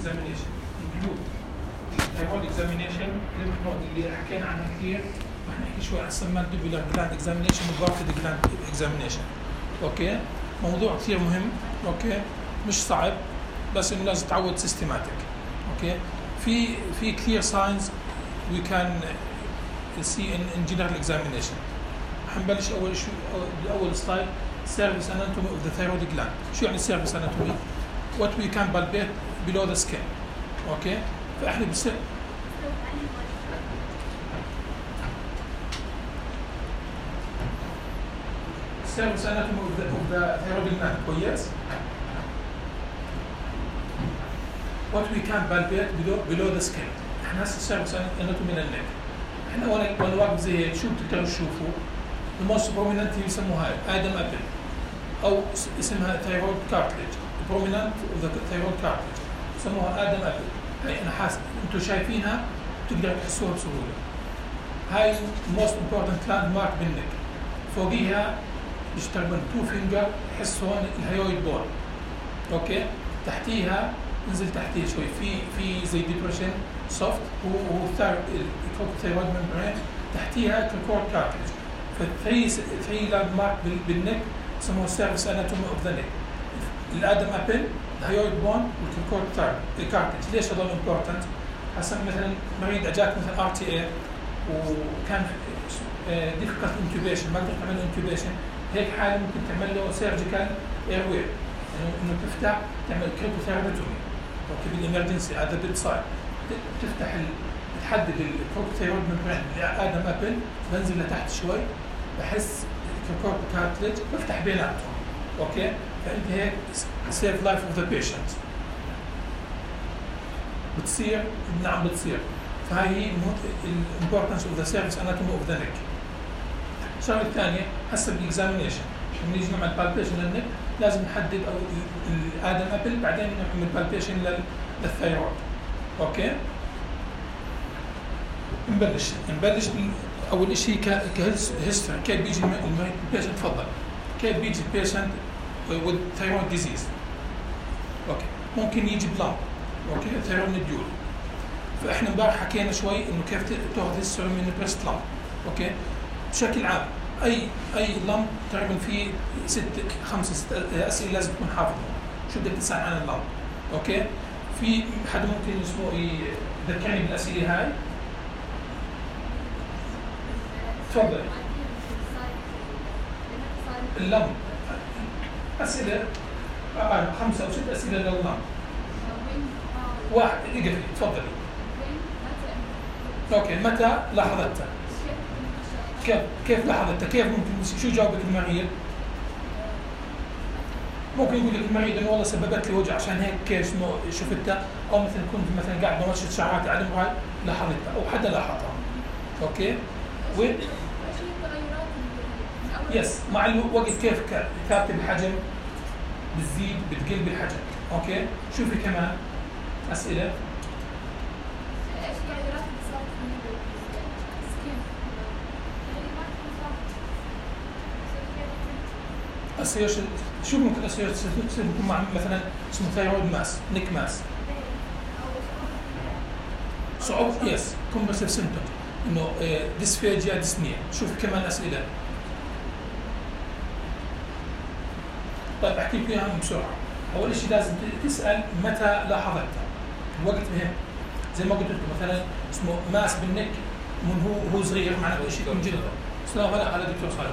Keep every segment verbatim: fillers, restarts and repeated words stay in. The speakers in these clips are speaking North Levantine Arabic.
examination include thyroid examination اللي حكينا عنها كثير. رح نحكي شوي عن submandibular gland examination و parotid gland examination. اوكي موضوع كثير مهم. اوكي مش صعب بس انه لازم تعود systematic. اوكي في في كثير signs we can see in, in general examination. حنبلش اول شيء باول سلايد surface anatomy of the thyroid gland. شو يعني surface anatomy؟ what we can palpate below the skin. اوكي فاحنا بصير surface anatomy of the, of the thyroid gland. كويس. what we can palpate below below the skin. احنا هسه surface anatomy للنك. احنا وانا وانا واقف زي هيك شو بتقدروا تشوفوا؟ the most prominent يسموها ادم ابل او اسمها thyroid cartilage. prominent of the thyroid cartilage يسموها ادم ابل. هاي انا حاسس انتم شايفينها بتقدروا تحسوها بسهوله. هاي most important landmark بالنك. فوقيها يشتغلون تو فينجر يحس هون الهيويد بون. اوكي تحتيها نزل تحتيه شوي في في زي ديبريشن سوفت هو هو الثايرويد ممبرين تحتيها الكور كارتلج. فالثري ثري لاند مارك بالنك يسموه سيرفيس اناتومي اوف ذا نيك. الادم ابل الهيويد بون والكور كارتلج. ليش هذول امبورتنت؟ حسب مثلا مريض اجاك مثلا ار تي اي وكان ديفيكالت انتوبيشن ما قدرت تعمل انتوبيشن، هيك حاله ممكن تعمل له سيرجيكال اير واي انه انه تفتح تعمل كريبوثيرابيتومي. اوكي بالامرجنسي هذا بيد سايد تفتح ال... تحدد الكورتيكوثيرويد ممبرين ادم ابل بنزل لتحت شوي بحس الكورت كارتلج بفتح بيناتهم. اوكي فانت هيك سيف لايف اوف ذا بيشنت. بتصير نعم بتصير. فهي هي الامبورتنس اوف ذا سيرفيس اناتومي اوف ذا نيك. الشغله الثانيه هسه بالاكزامينيشن لما نيجي نعمل بالبيشن للنك لازم نحدد او الادم ابل بعدين نعمل بالبيشن للثايرويد. اوكي نبلش نبلش اول شيء كهيستوري كيف بيجي البيشنت. تفضل كيف بيجي البيشنت with thyroid disease. اوكي ممكن يجي بلامب. اوكي ثايرويد نديول. فاحنا امبارح حكينا شوي انه كيف تاخذ هيستوري من بريست لامب. اوكي بشكل عام اي اي لامب تقريبا في ست خمسه ست اسئله لازم تكون حافظهم. شو بدك تسال عن اللامب. اوكي في حدا ممكن اسمه يذكرني بالاسئله هاي؟ تفضل. اللمب اسئله آه خمسه او ست اسئله لللمب. واحد اقفلي تفضلي. اوكي متى لاحظتها؟ كيف كيف لاحظتها؟ كيف ممكن شو جاوبك المريض؟ ممكن يقول لك المريض انه والله سببت لي وجع عشان هيك كيف اسمه شفتها، او مثلا كنت مثلا قاعد بمشط شعراتي على الموبايل لاحظتها او حدا لاحظها. اوكي؟ و يس مع الوقت كيف كاتب الحجم بتزيد بتقل بالحجم. اوكي؟ شوفي كمان اسئله. اسيرشن شو ممكن اسيرشن تكون مع مثلا اسمه ثايرويد ماس نيك ماس صعوبة يس كومبرسيف سيمبتوم انه ديسفيجيا ديسنيا. شوف كمان اسئله. طيب احكي لك اياها بسرعه. اول شيء لازم تسال متى لاحظتها. الوقت مهم زي ما قلت لكم مثلا اسمه ماس بالنك من هو هو صغير معناته شيء من جلده. السلام على دكتور صالح.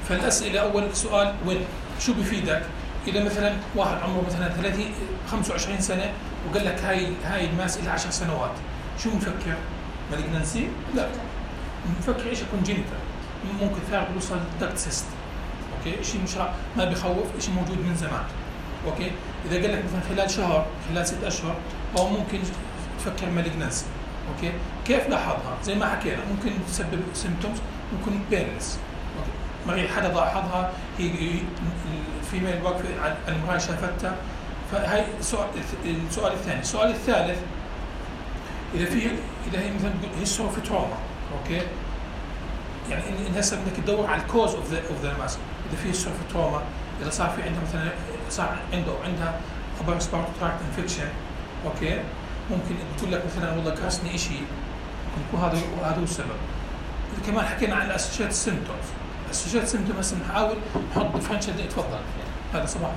فالاسئله اول سؤال وين شو بفيدك؟ اذا مثلا واحد عمره مثلا ثلاثين خمسة وعشرين سنه وقال لك هاي هاي الماس لها عشر سنوات، شو بنفكر؟ مالجنسي؟ لا، بنفكر شيء كونجينيتال، ممكن ثارد يوصل دكت سيست. اوكي، شيء مش ما بخوف، شيء موجود من زمان. اوكي، اذا قال لك مثلا خلال شهر خلال ست اشهر، او ممكن تفكر مالجنسي. اوكي، كيف لاحظها؟ زي ما حكينا ممكن تسبب سيمبتومز، ممكن بيرلس. اوكي، مريض حدا لاحظها، هي الفيميل واقفه على المرايه شافتها. فهي السؤال السؤال الثاني. السؤال الثالث، اذا في اذا هي مثلا هيستوري اوف تروما. اوكي، يعني ان هسه بدك تدور على الكوز اوف ذا اوف ذا ماس. اذا في هيستوري اوف تروما، اذا صار في عندها مثلا صار عنده او عندها upper respiratory tract infection. اوكي، ممكن تقول لك مثلا والله قرصني شيء، ممكن يكون هذا هذا هو السبب. اذا كمان حكينا عن الاسوشيت سيمبتومز، الاسوشيت سيمبتومز هسه بنحاول نحط ديفرنشال. تفضل هذا صباح.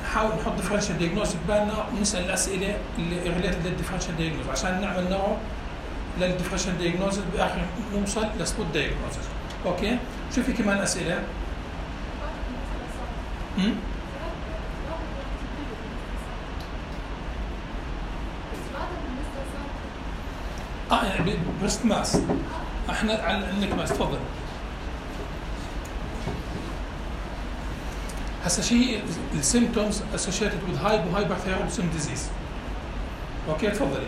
نحاول نحط ديفرنشال دايجنوز ببالنا ونسال الاسئله اللي ريليتد للديفرنشال دايجنوز عشان نعمل نوع للديفرنشال دايجنوز بالاخر نوصل لسبوت دايجنوز. اوكي، شو في كمان اسئله؟ امم اه يعني بريست ماس. احنا على النك ماس. تفضل. هسه شيء السيمبتومز associated with hypo hyperthyroidism disease. اوكي، تفضلي.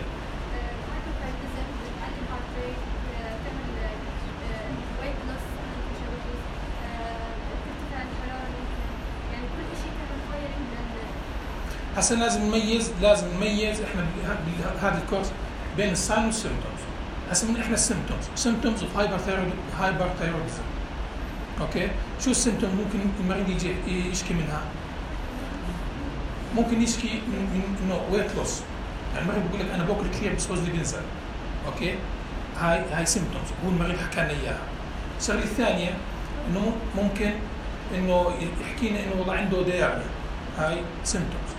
هسه لازم نميز لازم نميز احنا بهذا الكورس بين الساين والسيمبتومز. هسه من احنا السيمبتومز symptoms of hyperthyroid hyperthyroidism. اوكي، شو السيمبتوم ممكن المريض يجي يشكي منها؟ ممكن يشكي من من انه ويت لوس، يعني المريض بيقول لك انا باكل كثير بس وزني بينزل. اوكي، هاي هاي سيمبتومز، هو المريض حكى لنا اياها. الشغله الثانيه انه ممكن انه يحكي لنا انه والله عنده دياريا، هاي سيمبتومز.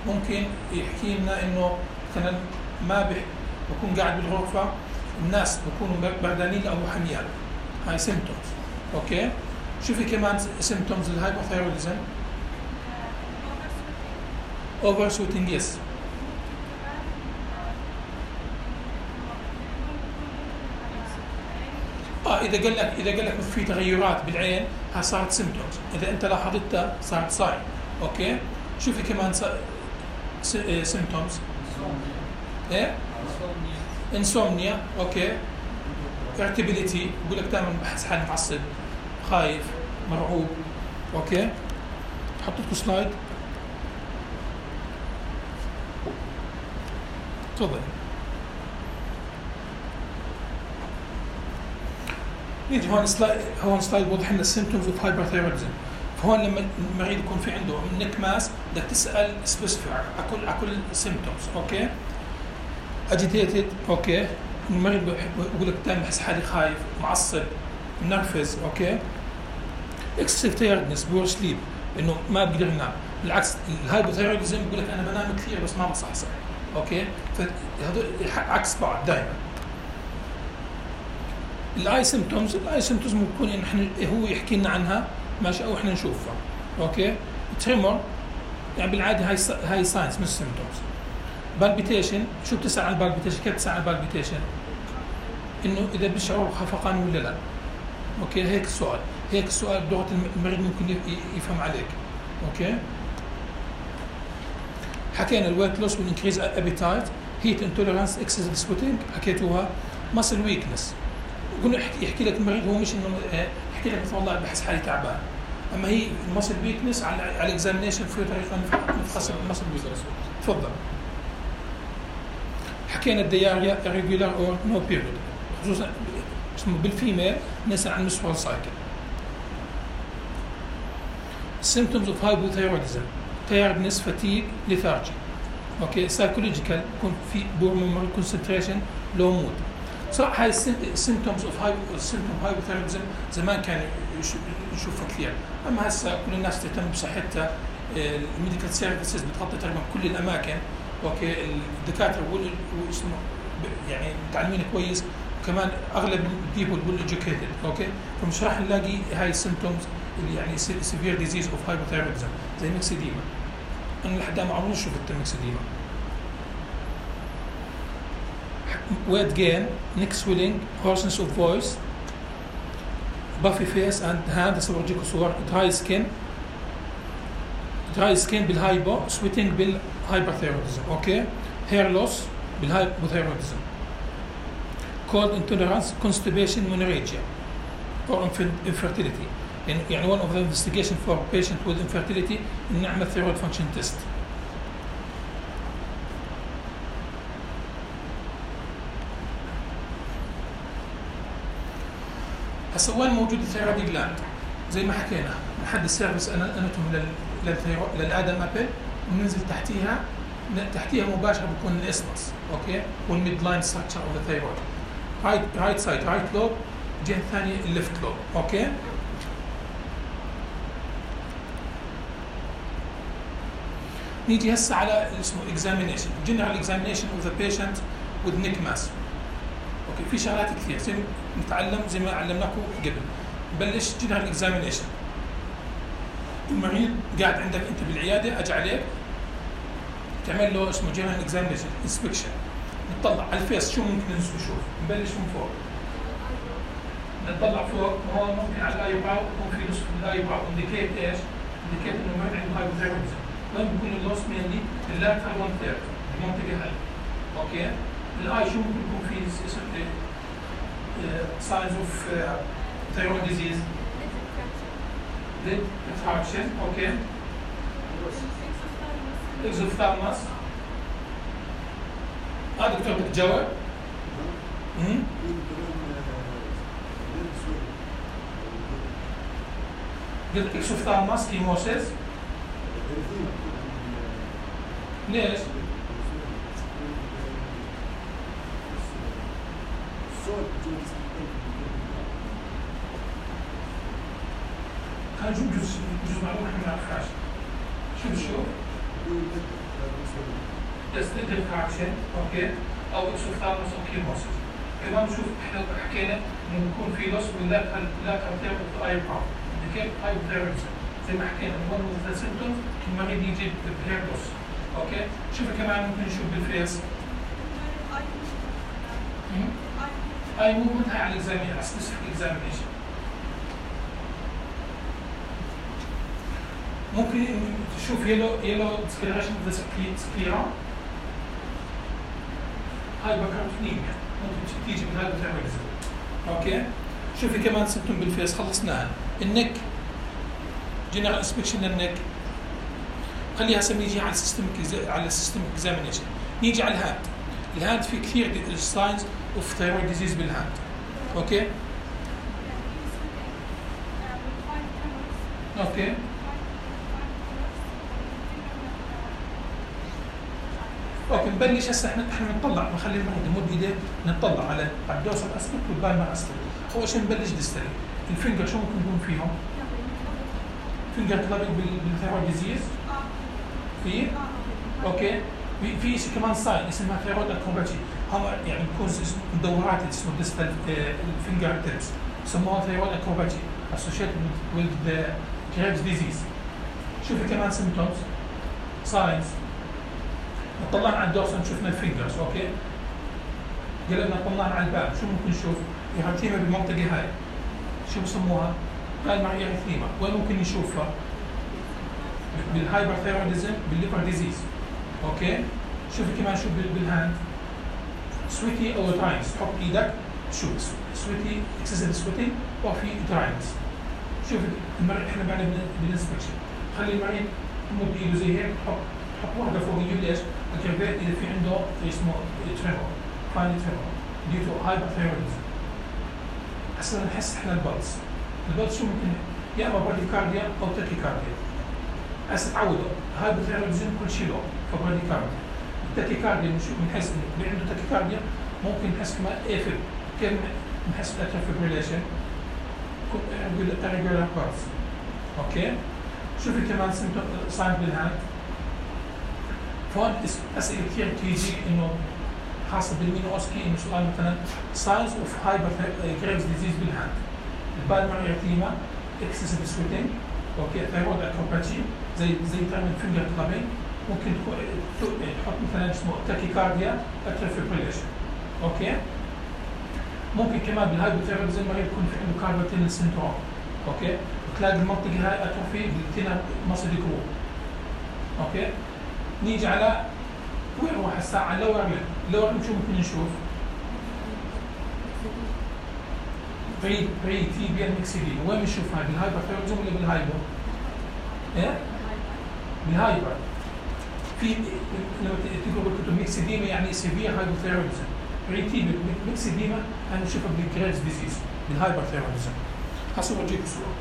ممكن يحكي لنا انه مثلا ما بح بكون قاعد بالغرفه الناس بكونوا بردانين او حميان، هاي سيمبتومز. اوكي، شو في كمان سيمبتومز الهايبوثايروديزم؟ اوفر سويتنج. يس. اه اذا قال لك اذا قال لك في تغيرات بالعين، ها صارت سيمبتومز. اذا انت لاحظتها صارت ساين. اوكي، شو في كمان سيمبتومز؟ ايه؟ انسومنيا. اوكي، irritability، بقول لك دائما بحس حالي متعصب، خايف، مرعوب. اوكي، حط لكم سلايد. تفضل. نيجي هون سلايد، هون سلايد بوضح لنا السيمبتومز اوف هايبرثايروديزم. فهون لما المريض يكون في عنده نيك ماس بدك تسال سبيسيفيك على كل على كل سيمبتومز. اوكي، اجيتيتد. اوكي، المريض بقول لك دائما بحس حالي خايف، معصب، منرفز. اوكي، اكسسيف تايردنس، بور سليب، انه ما بقدر ينام. بالعكس الهايبوثايروديزم بقول لك انا بنام كثير بس ما بصحصح. اوكي، فهذول عكس بعض دائما. الاي سيمبتومز، الاي سيمبتومز ممكن ان احنا هو يحكي لنا عنها ماشي او احنا نشوفها. اوكي، تريمور يعني بالعاده هاي هاي ساينس مش سيمبتومز. بالبيتيشن، شو بتسال عن البالبيتيشن؟ كيف بتسال عن البالبيتيشن؟ انه اذا بشعر خفقان ولا لا. اوكي، هيك السؤال، هيك السؤال بلغه المريض ممكن يفهم عليك. اوكي، حكينا الويت لوس والانكريز ابيتايت، هيت انتوليرانس، اكسسيف سويتنج حكيتوها، ماسل ويكنس. قلنا يحكي, يحكي لك المريض هو مش انه يحكي لك والله بحس حالي تعبان، اما هي الماسل ويكنس على على الاكزامينشن في طريقه نفحص الماسل ويكنس. تفضل. حكينا الدياريا irregular or no period، خصوصا بالفيميل نسال عن menstrual cycle. symptoms of hypothyroidism، tiredness، fatigue، lethargy. اوكي، psychological، يكون في poor memory concentration، low mood. صراحه هاي symptoms of symptom hypothyroidism زمان كان نشوفها كثير، اما هسه كل الناس تهتم بصحتها. الميديكال سيرفيسز بتغطي تقريبا كل الاماكن. اوكي، الدكاتره واسمه يعني متعلمين كويس، كمان اغلب البيبل والeducated اوكي فمش راح نلاقي هاي السيمتومز اللي يعني severe disease of hypothyroidism زي ميكسيديما. انا لحد ما عمري شفت الميكسيديما. weight gain, neck swelling, hoarseness of voice, puffy face and hand سأورجيكم صور, dry skin, dry skin بالهايبو, sweating بالهايبرثيروديزم, اوكي, hair loss بالهايبوثيروديزم, cold intolerance, constipation, menorrhagia, or infertility. يعني يعني one of the investigation for patient with infertility إن نعمل thyroid function test. هسا وين موجود الثيرويد جلاند؟ زي ما حكينا لحد السيرفس اناتومي للادم ابل وننزل تحتيها تحتيها مباشره بكون الاسمس اوكي والميد لاين ستراكشر اوف ذا ثيرويد رايت رايت سايد رايت لوب الجهه الثانيه الليفت لوب اوكي نيجي هسه على اسمه examination general examination of the patient with neck mass اوكي في شغلات كثير زي نتعلم زي ما علمناكم قبل. نبلش جنرال اكزامينيشن. المريض قاعد عندك انت بالعياده اجى عليك تعمل له اسمه جنرال اكزامينيشن انسبكشن نطلع على الفيس شو ممكن نشوف. نبلش من فوق نطلع فوق هو ممكن على الايباو يكون في نصف الايباو انديكيت ايش؟ انديكيت انه المريض عنده هايبوثايرويدزم. وين بيكون اللوس مينلي؟ اللاترال ون ثيرد المنطقه هاي اوكي الاي شو ممكن يكون في اسم signs of uh, thyroid disease lid contraction okay exophthalmos هذا دكتور بتجاوب امم قلت exophthalmos كيموسيس ليش؟ كان جزء جزء معلومة احنا ما نعرفهاش. شو بشوف؟ تستدل كاركشن اوكي او اكسوفثالموس او كيموسيس. كمان بنشوف احنا حكينا انه بيكون في لوس باللاكال لاكال ثيرابي اي باور. كيف هايبوثايرويدزم زي ما حكينا one of the symptoms المريض يجي بهير لوس. اوكي؟ شوف كمان ممكن نشوف بالفيس. اي موفمنت هاي على الاكزامين على سبيسيفيك اكزامينيشن. ممكن تشوف يلو يلو ديسكلريشن اوف ذا سكليرا هايبركارتونيميا ممكن تيجي من هايبوثايرويدزم. اوكي شوفي كمان سيمتوم بالفيس خلصناها. النك جنرال انسبكشن للنك خليها هسه نيجي على السيستمك على السيستمك اكزامينيشن. نيجي على الهاند. الهاند في كثير ساينز اوف ثايرويد ديزيز بالهاند. اوكي اوكي اوكي نبلش هسه احنا احنا نطلع نخلي المريض يمد ايديه نطلع على الدوسر اسبكت والبالمر اسبكت. اول شيء نبلش ديستري. الفينجر شو ممكن يكون فيهم؟ فينجر كلابينج بالثايرويد ديزيز في اوكي في شيء كمان ساين اسمها ثايرويد اكروباتي هم يعني بيكون مدورات اسمه ديستال الفينجر تيبس بسموها ثايرويد اكروباتي associated with the Graves disease. شوفي كمان سيمبتومز ساينز طلعنا على الدورسال شفنا الفينجرز اوكي قلبنا طلعنا على الباب شو ممكن نشوف؟ إريثيما بالمنطقه هاي شو بسموها؟ قال معي إريثيما وين ممكن نشوفها؟ بالهايبرثايرويدزم بالليفر ديزيز اوكي شوفي كمان شو بالهاند سويتي او دراينس تحط ايدك شوف سويتي اكسسيف سويتي وفي دراينس شوف المريض احنا بعد بالانسبكشن خلي المريض يمد ايده زي هيك تحط تحط واحده فوق يجيب ليش؟ الكرفات اذا في عنده اسمه تريمور فاين تريمور ديو تو هايبرثايرويدزم. هسه نحس احنا البلس البلس شو ممكن يا اما براديكارديا او تاكيكارديا. هسه تعودوا هايبرثايرويدزم كل شيء له فبراديكارديا. التاكيكارديا بنحس اللي عنده تاكيكارديا ممكن نحس كمان ايفل كيف نحس بالاتريال فيبريليشن نقول irregular pulse اوكي شوفي كمان ساين بالهاند فون اسئله كثير تيجي انه خاصه بالمينوسكي انه سؤال مثلا ساينز اوف هايبر جريفز ديزيز بالهاند، البالمر ارتيما، اكسسيف سويتنج، اوكي، ثايرويد اكروباتي زي زي تعمل فينجر كلابينج، ممكن تحط مثلا اسمه تاكيكارديا، اتريال فيبريليشن، اوكي. ممكن كمان بالهايبوثايرودزم المريض يكون في عنده كاربال تينل سندروم، اوكي، وتلاقي المنطقه هاي اتروفي بالتينر ماسل جروب، اوكي. نيجي على وين هو هسه على اللور ليم، اللور ليم شو ممكن نشوف؟ بري بري تي بي الميكسيديما، وين بنشوف هاي؟ بالهايبوثايرودزم ولا بالهايبو؟ ايه؟ بالهايبر. في لما تقروا بالكتب ميكسيديما يعني سيفير هايبوثايرودزم، بري تي بي ميكسيديما هنشوفها بالجريفز ديزيز، بالهايبرثايرودزم. هسه بورجيكم صوره.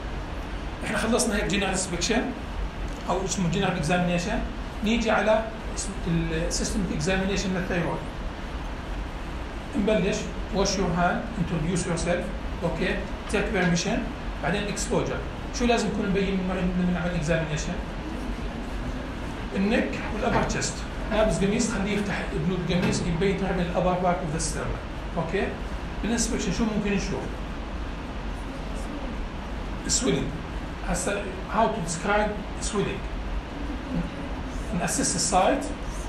احنا خلصنا هيك جينيرال انسبكشن او اسمه جينيرال اكزامينيشن، نيجي على السيستمك اكزامينيشن للثايرويد. نبلش wash your hand, introduce yourself, اوكي، take permission، بعدين exposure. شو لازم يكون مبين من المريض من نعمل اكزامينيشن؟ النك والابر تشست، لابس قميص خليه يفتح بنود القميص يبين تعمل الابر بارت اوف ذا ستيرنم، اوكي؟ بالانسبكشن شو ممكن نشوف؟ swelling. هسه how to describe swelling. نأسس السايت،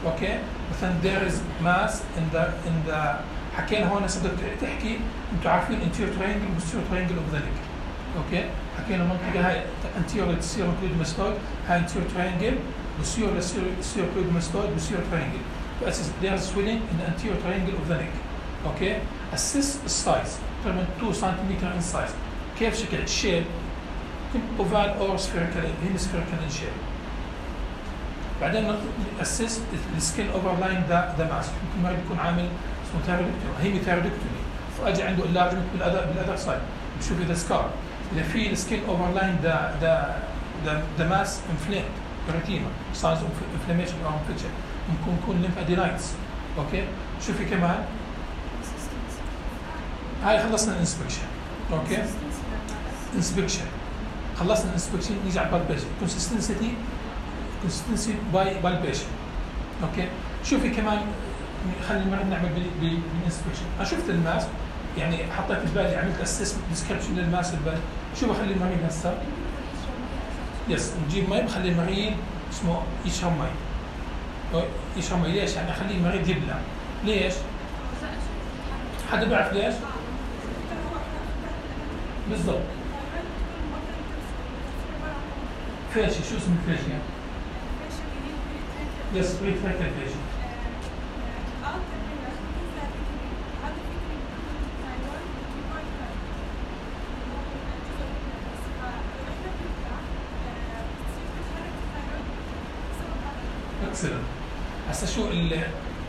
اوكي؟ مثلا there is mass in the in the حكينا هون هسه بدك تحكي انتم عارفين anterior triangle posterior triangle of the neck، اوكي؟ حكينا المنطقة هاي anterior serracoid mastoid، هاي anterior triangle، posterior serracoid mastoid، posterior triangle. فأسس there is swelling in the anterior triangle of the neck، اوكي؟ assess السايز تقريبا two centimeter in size. كيف شكل الشيب؟ اوفال اور سفيريكال هيمسفيريكال ان شيب. بعدين نأسس السكين اوفر لاين ذا ذا ماسك، ممكن المريض يكون عامل اسمه ثايرويدكتومي، هيمي ثايرويدكتومي، فاجى عنده انلارجمنت بالاذر بالاذر سايد، بشوف اذا سكار، اذا في السكين اوفر لاين ذا ذا ذا ذا ماس انفليمد اريتيما، ساينز اوف انفلاميشن او انفكشن، ممكن يكون ليمفادينايتس، اوكي. شوفي كمان هاي خلصنا الانسبكشن، اوكي. انسبكشن خلصنا الانسبكشن، نيجي على البالبيشن، كونسستنسي كونسستنسي باي بالبيشن، اوكي. شوفي كمان خلي المريض نعمل بالانسبكشن. انا شفت الماس، يعني حطيت ببالي عملت اسسمنت ديسكربشن للماس البال، شو بخلي المريض هسه؟ يس، نجيب مي بخلي المريض اسمه يشرب مي. يشرب مي ليش؟ يعني اخلي المريض يبلع. ليش؟ حدا بيعرف ليش؟ بالضبط. فاشي، شو اسم الفاشي؟ يس، بريت فاكر فاشي. اكسلنت. هسا شو ال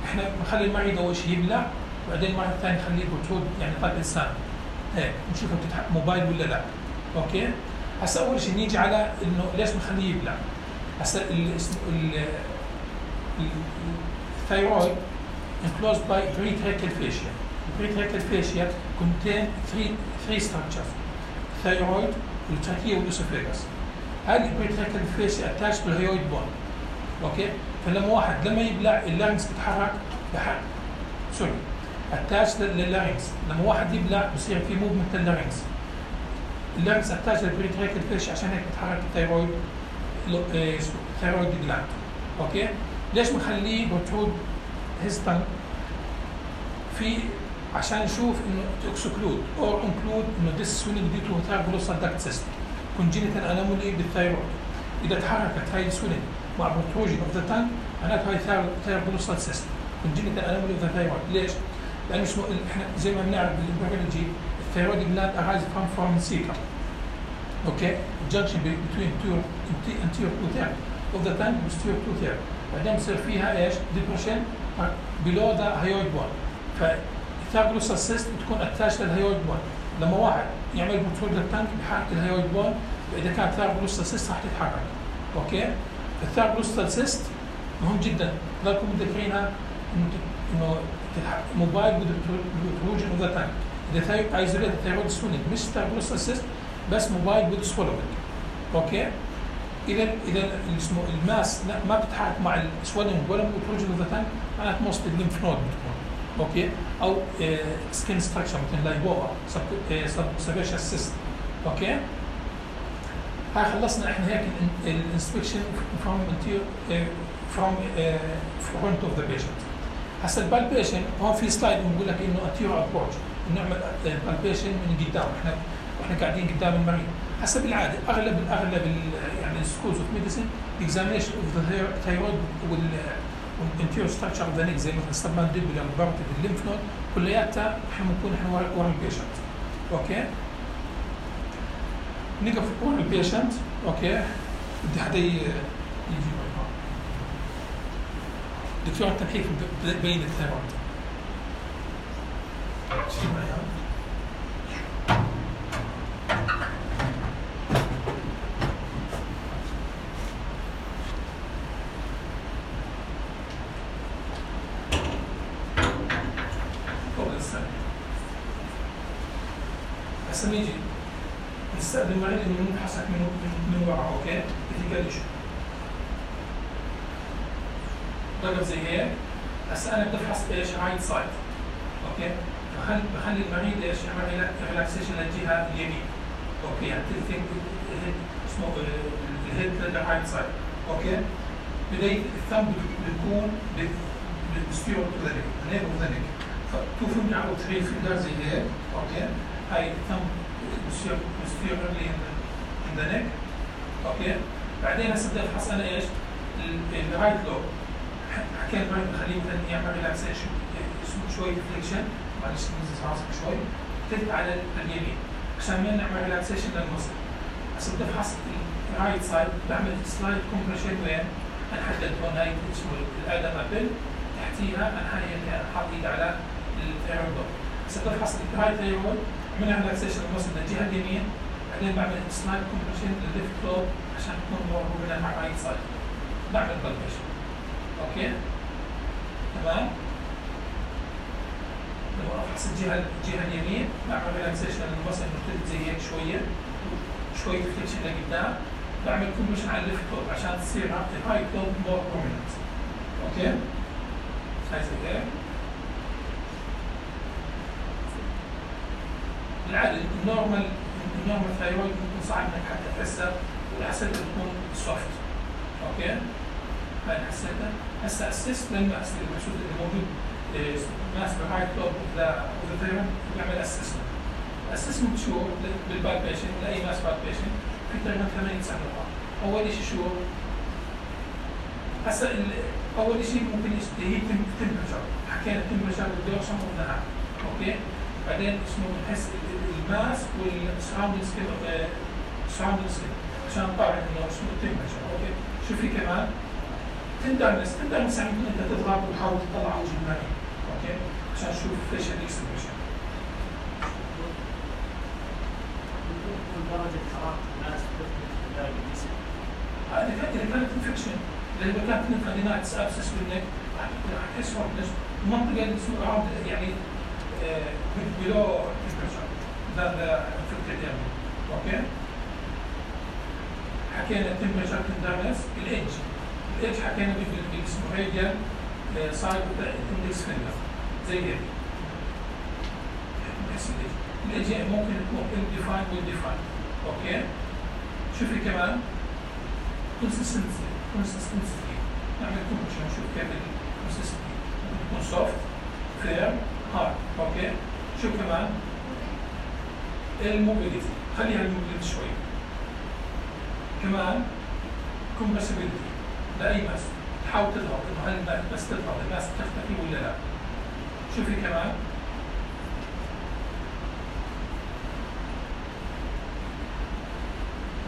احنا بنخلي المريض اول شيء يبلع، وبعدين المرة الثانية نخليه بروتود يعني طاق انسان. هيك نشوفه بتتحقق موبايل ولا لا. اوكي؟ هسا اول شيء نيجي على انه ليش بنخليه يبلع؟ هسا الثايرويد enclosed by pretracheal fascia. pretracheal fascia contain three three structures: thyroid, والتراكية والاسوفيجاس. هذه البريتراكيال fascia attached بالهيويد بون. اوكي؟ فلما واحد لما يبلع اللارنكس بتحرك بحرك سوري attached لللارنكس، لما واحد يبلع بصير في موفمنت لللارنكس. اللارنكس attached للبريتراكيال fascia عشان هيك بتحرك الثايرويد ثايرويد جلاند. اوكي؟ ليش بنخليه بروترود هيستن؟ في عشان نشوف انه تكسكلود اور انكلود انه ذس سوينج ديو تو ثايرويد داكت سيستم كونجينيتال انومالي بالثايرويد. اذا تحركت هاي السوينج مع بروتروجن اوف ذا تانك معناتها هاي ثايرويد سيستم كونجينيتال انومالي اوف ذا ثايرويد. ليش؟ لانه اسمه احنا زي ما بنعرف بالبيولوجي الثايرويد جلاند ارايز فروم فورم سيكا. اوكي؟ junction between two anterior two third of the tank posterior two third. بعدين بصير فيها ايش؟ depression below the hyoid bone. فالثايرويد سيست بتكون اتاش للهيويد بون. لما واحد يعمل بروترود للتانك بحرك الهيويد بون، واذا كانت ثايرويد سيست راح تتحرك. اوكي؟ الثايرويد سيست مهم جدا، ضلكم متذكرينها انه انه موبايل بروتروجن اوف ذا تانك. اذا ايزوليت ثايرويد سوينج مش ثايرويد سيست بس موبايل وذ سويلنج. اوكي؟ اذا اذا اسمه الماس ما بتتحرك مع السويلنج ولا البروتروجن اوف ذا تانك معناته موست الليمف نود بتكون. اوكي او سكين ستراكشر مثل لايبوما سبيشال سيست. اوكي هاي خلصنا احنا هيك الانسبكشن فروم فروم فرونت اوف ذا بيشنت. هسا البالبيشن هون في سلايد بنقول لك انه انتيرو ابروتش، نعمل بالبيشن من قدام احنا واحنا قاعدين قدام المريض. هسا بالعاده اغلب الاغلب يعني السكولز اوف ميديسن اكزامينشن اوف ذا ثايرويد والانتيرو ستراكشر اوف ذا نيك زي مثلا السبمانديبولار والبارتيد الليمف نود كلياتها احنا بنكون احنا ورا البيشنت. اوكي نقف ورا البيشنت. اوكي بدي حدا يجي دكتور التنحيف بين الثيرويد. شيل معي هسا نيجي نستخدم المريض انه نفحصك من من ورا. اوكي بتقلش ضغط زي هيك. هسا انا بدي افحص ايش؟ رايت سايد. اوكي بخلي بخلي المريض ايش يعمل ريلاكسيشن للجهه اليمين. اوكي يعني تلتين اسمه الهيد للرايت سايد. اوكي بدايه الثumb بتكون بالستيرو تو ذا نيك، نيك اوف ذا نيك. فتو فينجر او ثري فينجر زي هيك. اوكي هاي الثumb بالستيرو اللي ان ذا نيك. اوكي بعدين هسه بدي افحص انا ايش؟ الرايت لوب. حكينا المريض بخليه مثلا يعمل ريلاكسيشن شوي فليكشن، معلش ننزل راسك شوي تلت على اليمين عشان ما نعمل ريلاكسيشن للمصل. هسه بدي افحص الرايت سايد بعمل سلايد كومبريشن وين؟ انحدد هون هاي اسمه الادم ابل تحتيها انا هاي حاط ايدي على الثيرويد. هسه بدي افحص الرايت ثيرويد عملنا ريلاكسيشن للمصل للجهه اليمين، بعدين بعمل سلايد كومبريشن للليفت لوب عشان تكون مور موفمنت مع الرايت سايد. بعمل بالبيشن. اوكي تمام. لو افحص الجهه الجهه اليمين بعمل ريلاكسيشن للمصل مرتد زي هيك شويه شويه فليكشن لقدام، بعمل كومبريشن على الليفت لوب عشان تصير الرايت لوب مور بروميننت. اوكي هاي زي هيك. بالعاده النورمال النورمال ثايرويد بيكون صعب انك حتى تحسها والحساسيه بتكون سوفت. اوكي هاي حسيتها. هسه اسست للماس المقصود اللي موجود ماس بالرايت لوب اوف ذا ثايرويد بيعمل اسسمنت. اسسمنت شو بالبالبيشن لاي ماس بالبيشن في تقريبا ثمانية تسع نقاط. اول شيء شو؟ هسه اول شيء ممكن هي التمبرتشر، حكينا التمبرتشر والدوشن والنهار. اوكي بعدين اسمه بنحس الماس والسراوندنج سكين سراوندنج سكين عشان نطلع انه اسمه التمبرتشر. اوكي شو في كمان؟ تندرنس تندرنس يعني انت تضغط وتحاول تطلع وجه المريض. اوكي عشان تشوف فيشل اكسبريشن. درجة حرارة الناس درجة الجسم. هذه إذا كانت انفكشن، إذا كانت ليمفادينايتس ابسس بالنك راح تحس هورنس المنطقة اللي اسمها يعني بلو تمبرتشر ذا ذا انفكتد يعني. اوكي حكينا التمبرتشر تندرنس. الايدج الايدج حكينا باللي اسمه راديال سايد اندكس فينجر زي هيك. بحس الايدج الايدج ممكن تكون الديفاين والديفاين. اوكي شو في كمان؟ كونسستنسي كونسستنسي نعمل كومبريشن نشوف كيف الكونسستنسي ممكن تكون سوفت فير هارد. اوكي شو كمان؟ الموبيليتي خليها الموبيليتي شوي. كمان كومبرسبيليتي لاي ماس تحاول تضغط انه هل بس تضغط الماس تختفي ولا لا. شو في كمان؟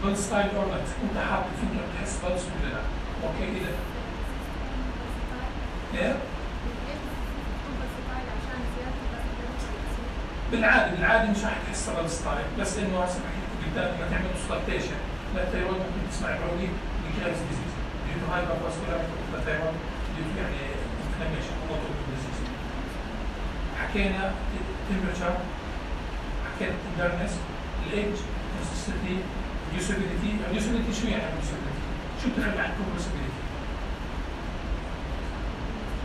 بلس ستايل اور لا انت حاط الفكره بتحس بلس ولا لا. اوكي اذا ايه بالعاده بالعاده مش راح تحس بلس ستايل، بس انه هسه حكيت قدام لما تعمل اوسكالتيشن للثيرويد ممكن تسمع بعودي بكرايز ديزيز ديو تو هايبر فاسكولاريتي اوف ذا ثيرويد ديو تو يعني انفلاميشن او اوتو ديزيز. حكينا التمبرتشر، حكينا التندرنس، الايدج، كونسستنسي، يوسابيليتي. اليوسابيليتي شو يعني يوسابيليتي؟ شو بتفرق عن كومبرسبيليتي؟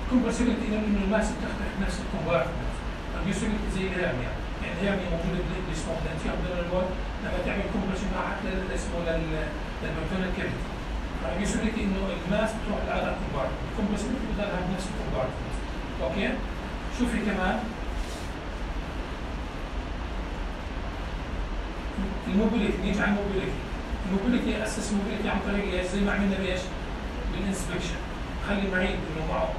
كومبرسيبيلتي انه الماس بتختلف نفس الكومبارتمنت. ريديوسيبيلتي زي الهيرميا، يعني الهيرميا موجوده بالاسمه الانتير ابدومينال وول لما تعمل كومبريشن راحت للاسمه للبرتونال كافيتي. ريديوسيبيلتي انه الماس بتروح لأدر كومبارتمنت، كومبرسيبيلتي بتضلها بنفس الكومبارتمنت. اوكي؟ شوفي كمان الموبيليتي، نيجي على الموبيليتي. الموبيليتي اسس موبيليتي عن طريق ايش؟ زي ما عملنا بايش؟ بالانسبكشن. خلي المريض انه معه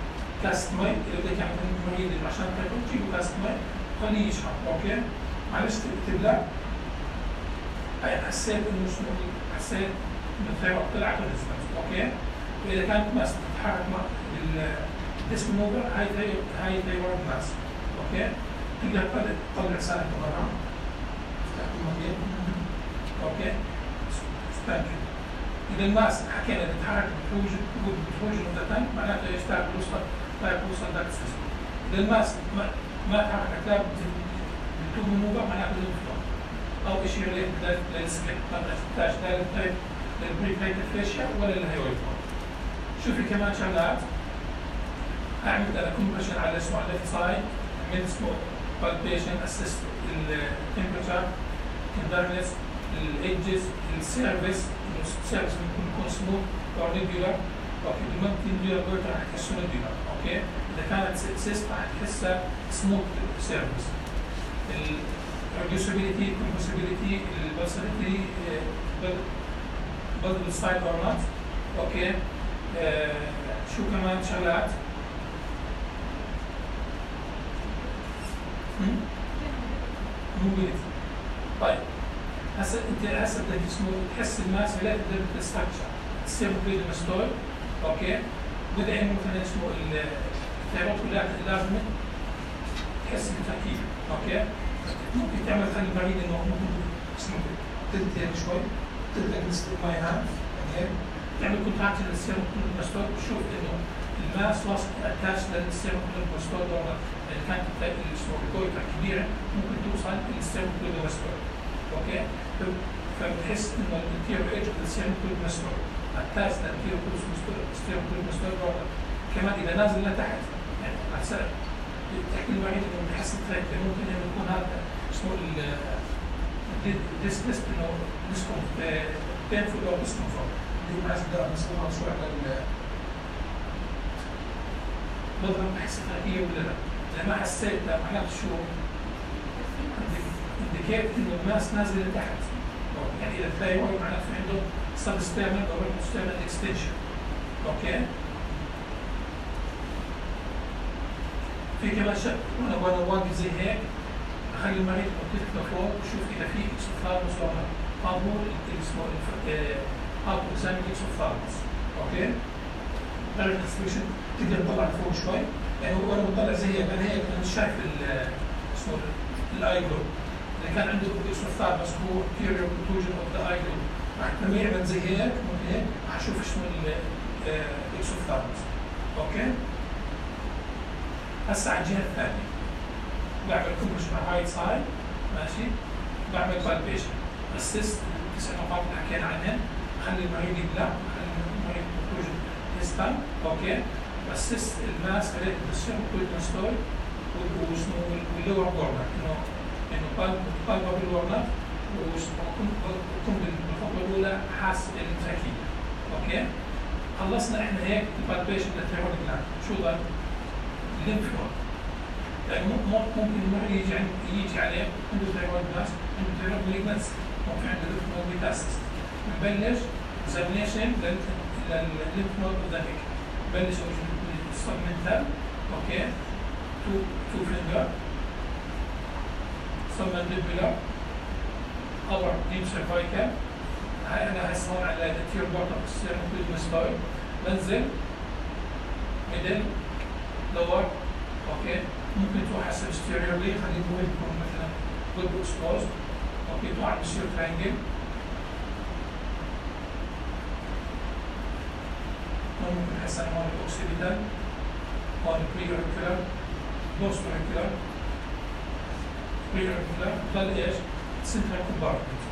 كاست مي، اذا بدك تعمل المريض عشان تاكل تجيبه كاست مي خليه يشرب. اوكي؟ معلش تبلع. هاي حسيت انه شنو؟ حسيت انه الثيرويد طلعت ونزلت. اوكي؟ واذا كانت ماس تتحرك مع الديسك موفر هاي هاي ثيرويد ماس. اوكي؟ تقدر تطلع لسانك برا. اوكي؟ ستانكي. إذا الماس حكينا تتحرك بتخرج بتخرج نقطتين معناته يشتغل بوصل لا يوصل داك سيستم. إذا الماس ما ما تحرك لا بتوب موفر معناته للفطور أو شيء ريليتد للسكيل، ما تحتاج لا للبري بريكليت فيشيا ولا للهيرويد. شوفي كمان شغلات. أعمل أنا كومبريشن على اسمه على الليفت سايد من اسمه بالبيشن اسيست التمبرتشر كندرنس الايدجز السيرفيس. السيرفيس ممكن يكون سموث او نيبيولار. اوكي ممكن نيبيولار بورتر رح تحسه نيبيولار. اوكي اذا كانت سيست رح تحسها سموث سيرفيس. الريديوسيبيليتي الكومبرسيبيليتي البلسيتي بلد ستايل اور نوت. اوكي آه شو كمان شغلات؟ موبيليتي. طيب هسه انت هسه بدك اسمه تحس الماس ريليتد للستراكشر السيرفيد ماستويد. اوكي بدأ انه مثلا اسمه الثيرويد كلها لازم تحس بالتركيب. اوكي ممكن تعمل خلي المريض انه ممكن اسمه تلتين شوي تلتين نسبة ماي هاند يعني هيك تعمل كونتراكشن للسيرفيد ماستويد تشوف انه الماس واصل اتاش للسيرفيد ماستويد ولا اذا كانت اسمه الكويكه كبيره ممكن توصل للسيرفيد ماستويد. اوكي فبتحس انه الانتيريور ايدج للسيرفيد ماستويد اتاش للانتيريور سيرفيد ماستويد كمان اذا نازل لتحت يعني احسن تحكي المريض انه بحس التراكت ممكن انه يكون هذا اسمه الديسكست انه ديسكوم بينفول او ديسكومفورت اللي هو عايز نقدر نسمعها شوي على بضرب بحس التراكيه ولا لا؟ اذا ما حسيت معناته شو؟ انديكيت انه الماس نازل لتحت. يعني اذا الثايرويد معناته في عنده سب ستيرنال او ستيرنال اكستنشن. اوكي؟ في كمان شيء وانا وانا واقف زي هيك اخلي المريض يحط لفوق وشوف اذا في اكسوثالموس ولا قابول اسمه اوتو اكزامين اكسوثالموس. اوكي؟ درجة الاكسبريشن تقدر تطلع لفوق شوي يعني وانا بطلع زي هيك انا هيك انا مش شايف اسمه الاي جلوب. اذا كان عنده اكسوثالموس هو anterior protrusion of the eye group راح لما يعمل زي هيك ممكن هيك راح اشوف شنو الاكسوثالموس. اوكي؟ هسه على الجهه الثانيه بعمل كومبريشن على الرايت سايد ماشي بعمل بالبيشن اسيست تسع نقاط اللي حكينا عنهن اخلي المريض يبلع اخلي المريض بروجن هيستان. اوكي اسيست الماس ريليتد بالسيرفيد ماستويد وشنو واللور كورنر انه انه بالبا بالورنر وشنو بكون بالخطوه الاولى حاسس التركيبه. اوكي خلصنا احنا هيك البالبيشن للثيرويد جلاند. شو ضل؟ الليمف نود يعني ممكن المريض يجي عند يجي عليه عنده ثيرويد ماس عنده ثيرويد مالجنس ممكن عنده ليمف نود ميتاستس بنبلش اكزامينيشن للليمف نود هيك بنبلش السبمنتال. اوكي تو تو فينجر سبمنتيبولار اور ديب سيرفايكال. هاي انا هسه هون على الانتيريور بورد اوف السيرفيد ماستويد بنزل ميدل لور. اوكي ممكن تروح حسب ستيريولي خليه هو يكون مثلا جود اكسبوز. اوكي تروح على السير ترانجل ممكن حسب هون الاوكسيبيتال هون بري اوريكولار بوست اوريكولار بري اوريكولار ضل ايش؟ سنترال كومبارتمنت.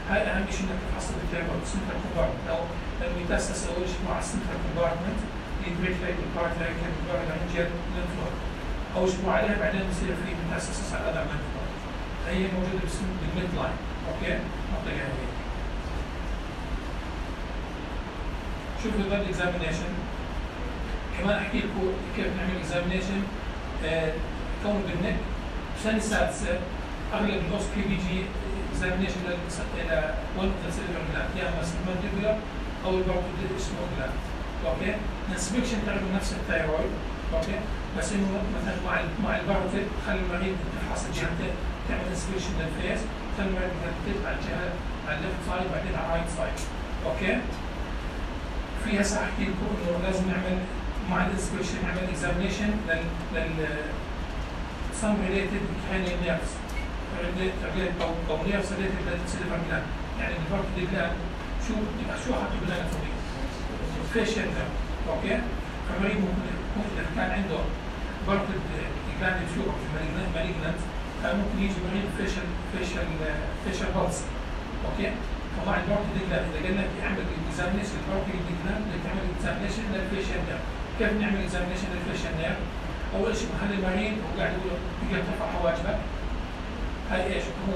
هاي اهم شيء انك تفحص الثيرويد سنترال كومبارتمنت او الميتاستاس اول شيء مع السنترال كومبارتمنت الجريت ليك والبارت ليك واللارنجيال لينف نود او اشبوا عليها بعدين بصير في ميتاسيسس على الاذر لينف نود. هي موجوده باسم الميد لاين. اوكي؟ منطقه هي. شوفوا البلد اكزامينيشن كمان احكي لكم كيف نعمل اكزامينيشن آه كونه بالنك. السنه السادسه اغلب الاوس كي بي جي اكزامينيشن الى ون كونسيدر جلاند يا اما سبمنديبولار او البارتوديل اسمه جلاند. اوكي؟ الانسبكشن تاخذوا نفس الثايرويد. اوكي؟ بس انه مثلا مع مع البارتوديل خلي المريض تفحص الجهتين تعمل انسبكشن للفيس خلي المريض يرتب على الجهه على الليفت سايد بعدين على الرايت سايد. اوكي؟ في هسه احكي لكم انه لازم نعمل مع الانسبكشن نعمل اكزامينيشن لل لل some related cranial nerves او او nerves related للسيلفر جلاند. يعني البارتوديل جلاند شو شو اخذته بالاناتومي؟ فيشل نيرف. اوكي؟ فالمريض ممكن اذا كان عنده بارتوديل جلاند تيوب مالجنت كان ممكن يجي مريض فيشل فيشل فيشل بلس. اوكي؟ فمع البارتوديل جلاند اذا قلنا لك اعمل اكزامينيشن للبارتوديل جلاند بدك تعمل اكزامينيشن للفيشل نيرف. كيف نعمل اكزامينيشن للفيشل نيرف؟ اول شيء بخلي المريض وقاعد يقول له تقدر ترفع حواجبك. هاي ايش؟ هو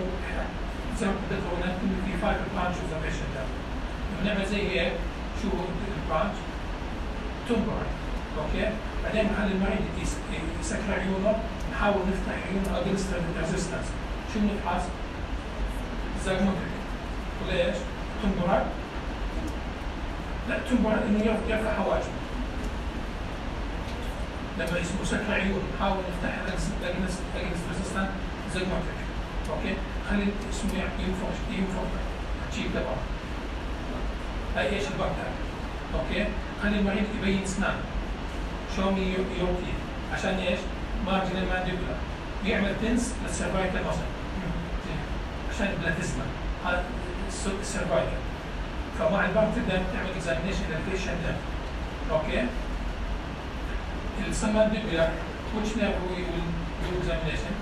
زي ما قلت لك في فايف برانش اوبزرفيشن ده. بنعمل زي هيك شو البرانش؟ تمبرال. اوكي؟ بعدين بخلي المريض يسكر عيونه نحاول نفتح عيونه اجنست ريزيستنس. شو بنفحص؟ زاغموتيك. ولا ايش؟ تمبرال؟ لا تمبرال انه يرفع حواجبه. لما يسمو سكر عيون نحاول نفتح اجنست اجنست ريزيستنس زاغموتيك. اوكي؟ خلي اسمه ينفخ ينفخ تشيب تبعه. هاي ايش البكتر؟ اوكي؟ خلي المريض يبين اسنان. شو مي يوتي عشان ايش؟ مارجنال مانديبولا يعمل تنس للسيرفايكال ماسل عشان البلاتيزما هذا السيرفايكال. فمع البكتر دائما تعمل اكزامينيشن للفيشل نيرف. اوكي؟ السمانديبولا which nerve we will do examination؟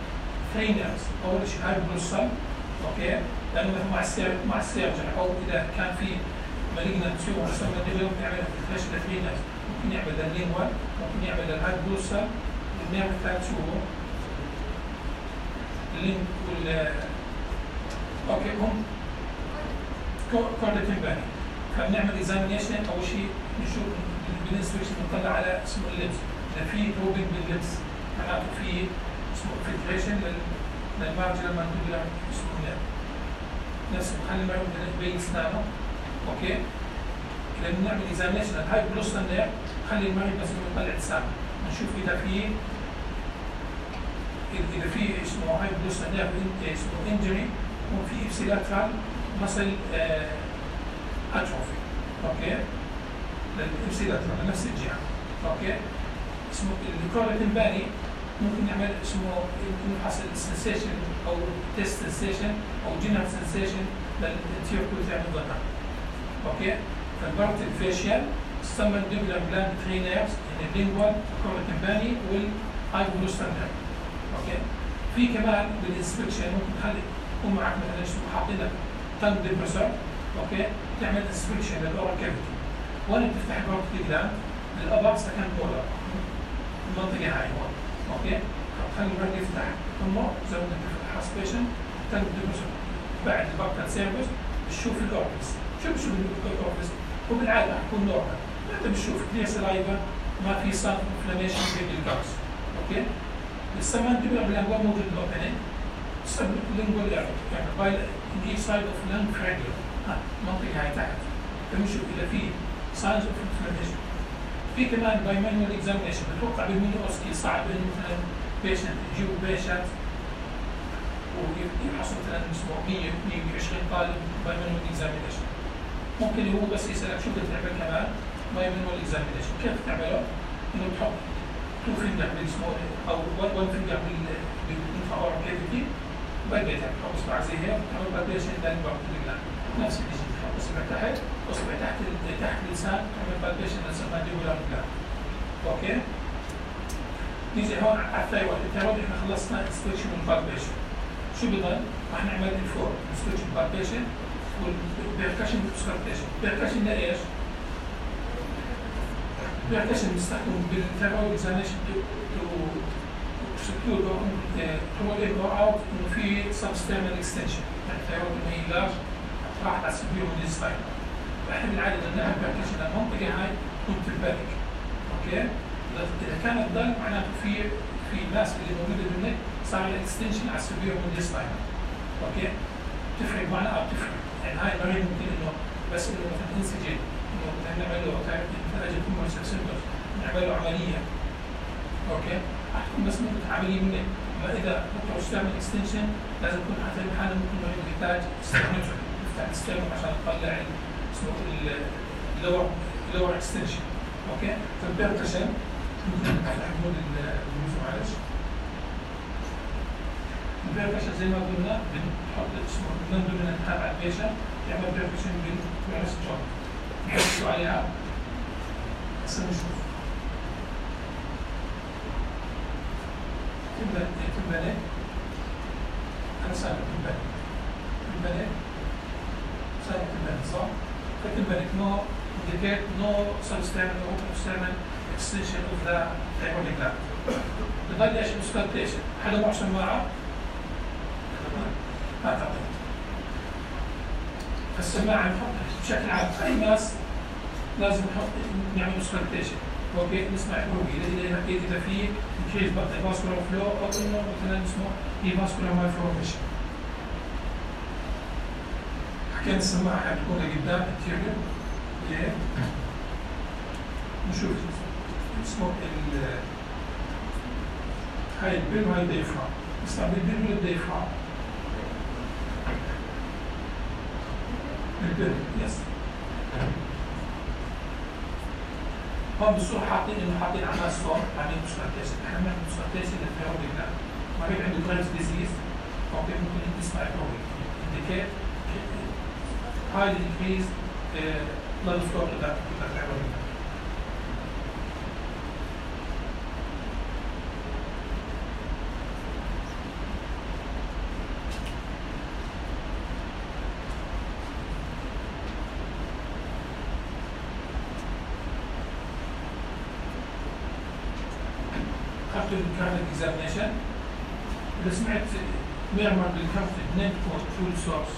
three nerves. اول شيء هاي البروسال. اوكي؟ لانه مثلا مع السير مع السيرجن او اذا كان في مالجنت تيوب السمانديبولا ممكن يعمل فلاش لثري نيرفز. ممكن يعمل لللينجوال، ممكن يعمل للهاي بروسال، النيرف الثالث هو اللينج وال اوكي هم كوردا تمباني. فبنعمل اكزامينيشن اول شيء نشوف بالانسبكشن بنطلع على اسمه اللبس. اذا في روبين باللبس معناته في اسمه فلتريشن للمارجنال مانديبولا اسمه نيرف. نفس بخلي المريض يبين اسنانه. اوكي؟ اذا بنعمل اكزامينيشن هاي بلوستال نيرف خلي المريض بس يطلع لسانه نشوف اذا في اذا في اسمه هاي بلوستال نيرف اسمه انجري وفي ابسيلاترال مسل اتروفي. اوكي؟ للابسيلاترال نفس الجهه. اوكي؟ اسمه الكوردا تمباني ممكن نعمل اسمه نفحص السنسيشن او تيست سنسيشن او جنرال سنسيشن للانتيريور كوتيان الظهر. اوكي؟ فالبارت الفيشيال السمانديبولار جلاند ثري نيرفز يعني اللينجوال الكوردا تمباني والهايبولوستال نيرف. اوكي؟ في كمان بالانسبكشن ممكن تخلي يكون معك مثلا شو حاطين لك تنج ديبرسر. اوكي؟ تعمل انسبكشن للاورال كافيتي. وين بتفتح البارت جلاند؟ للابر سكند مولر. المنطقه هاي هون. اوكي؟ خلي المريض يفتح امه زي ما انت تفحص بيشن تنج ديبرسر بعد البكتر سيرفيس تشوف الاوربس. شو بشوف الاوربس؟ وبالعاده حكون نورمال. انت بتشوف كلير سلايفا ما في صار انفلاميشن بين الجاكس. اوكي؟ السمانديبولار بالانجوال موجود الاوبننج. السبلينجوال يعني باي دي سايد اوف لانج فريجلر. ها المنطقه هاي تحت. فبنشوف اذا في ساينز اوف انفلاميشن. في كمان باي مانوال اكزامينشن بتوقع بالميني اوسكي صعب انه مثلا بيشنت يجيبوا بيشنت ويفحصوا مثلا اسمه مية مية وعشرين طالب باي مانوال اكزامينشن. ممكن هو بس يسالك شو بدك تعمل كمان باي مانوال اكزامينشن. كيف تعمله؟ انه تحط تو فينجر بالاسمه او ون فينجر بالانفاور كيفيتي وبديت تحط اصبع زي هيك وتعمل بالبيشن للبارت الجلاند. نفس الشيء تحط اصبع تحت اصبع تحت تحت اللسان تعمل بالبيشن للسمانديبولار جلاند. اوكي؟ نيجي هون على الثايرويد. الثايرويد احنا خلصنا انسبكشن والبالبيشن. شو بضل؟ رح نعمل الفور انسبكشن بالبيشن والبيركشن والسكرتيشن. البيركشن لايش؟ percussion بيستخدموا بالثيرويد اكزامينشن تو سكيور تو ان اور اوت انه في سبستيرنال اكستنشن، يعني الثيرويد انه هي لارج راحت على السبيرو ديستاين. فاحنا بالعاده بدنا نعمل percussion المنطقه هاي تكون تمبارك. اوكي؟ اذا كانت ضل معناته في في ماس اللي موجوده بالنك صار لها اكستنشن على السبيرو ديستاين. اوكي؟ تفرق معنا او تفرق، يعني هاي المريض ممكن انه بس انه مثلا انسجن انه مثلا نعمل له مثلا اجى تيومر سيمبتومز نعمل له عمليه. اوكي؟ راح تكون بس ممكن عمليه منك، اما اذا ممكن تعمل اكستنشن لازم يكون حتى الحاله ممكن المريض يحتاج ستيرنوتومي يفتح الستيرنوم عشان يطلع اسمه اللور اللور اكستنشن. اوكي؟ فالبيركشن ممكن محمود الجلوس معلش. البيركشن زي ما قلنا بنحط اسمه بننظر من نتابع البيشنت يعمل بيركشن بالراس جوينت نحطوا عليها هسه نشوف تنبني تنبني أنا سابق تنبني تنبني سابق تنبني صح؟ فتنبني no indicate no substernal or external extension of the thyroid gland. بضل ايش auscultation حدا معه سماعة؟ ما تعطي. السماعة نحطها بشكل عام أي ماس لازم نحط نعمل auscultation. اوكي نسمع الروبي اذا اذا في كيس فاسكولار فلو او انه مثلا اسمه هي فاسكولار مالفورميشن. حكينا السماعه حتكون لقدام التيريو ليه؟ نشوف اسمه ال هاي البيل وهاي الديفرام نستعمل البيل ولا الديفرام؟ البيل يس هون بالصورة حاطين انه حاطين على الصوت عاملين مسكرتيشن، احنا بنعمل مسكرتيشن للثيرويد جلاند، مريض عنده جريفز ديزيز اوكي ممكن تسمع الثيرويد indicate highly increased blood flow to the thyroid gland. after the cardiac examination إذا سمعت ميرمر بالكارت نيم كود فول سورس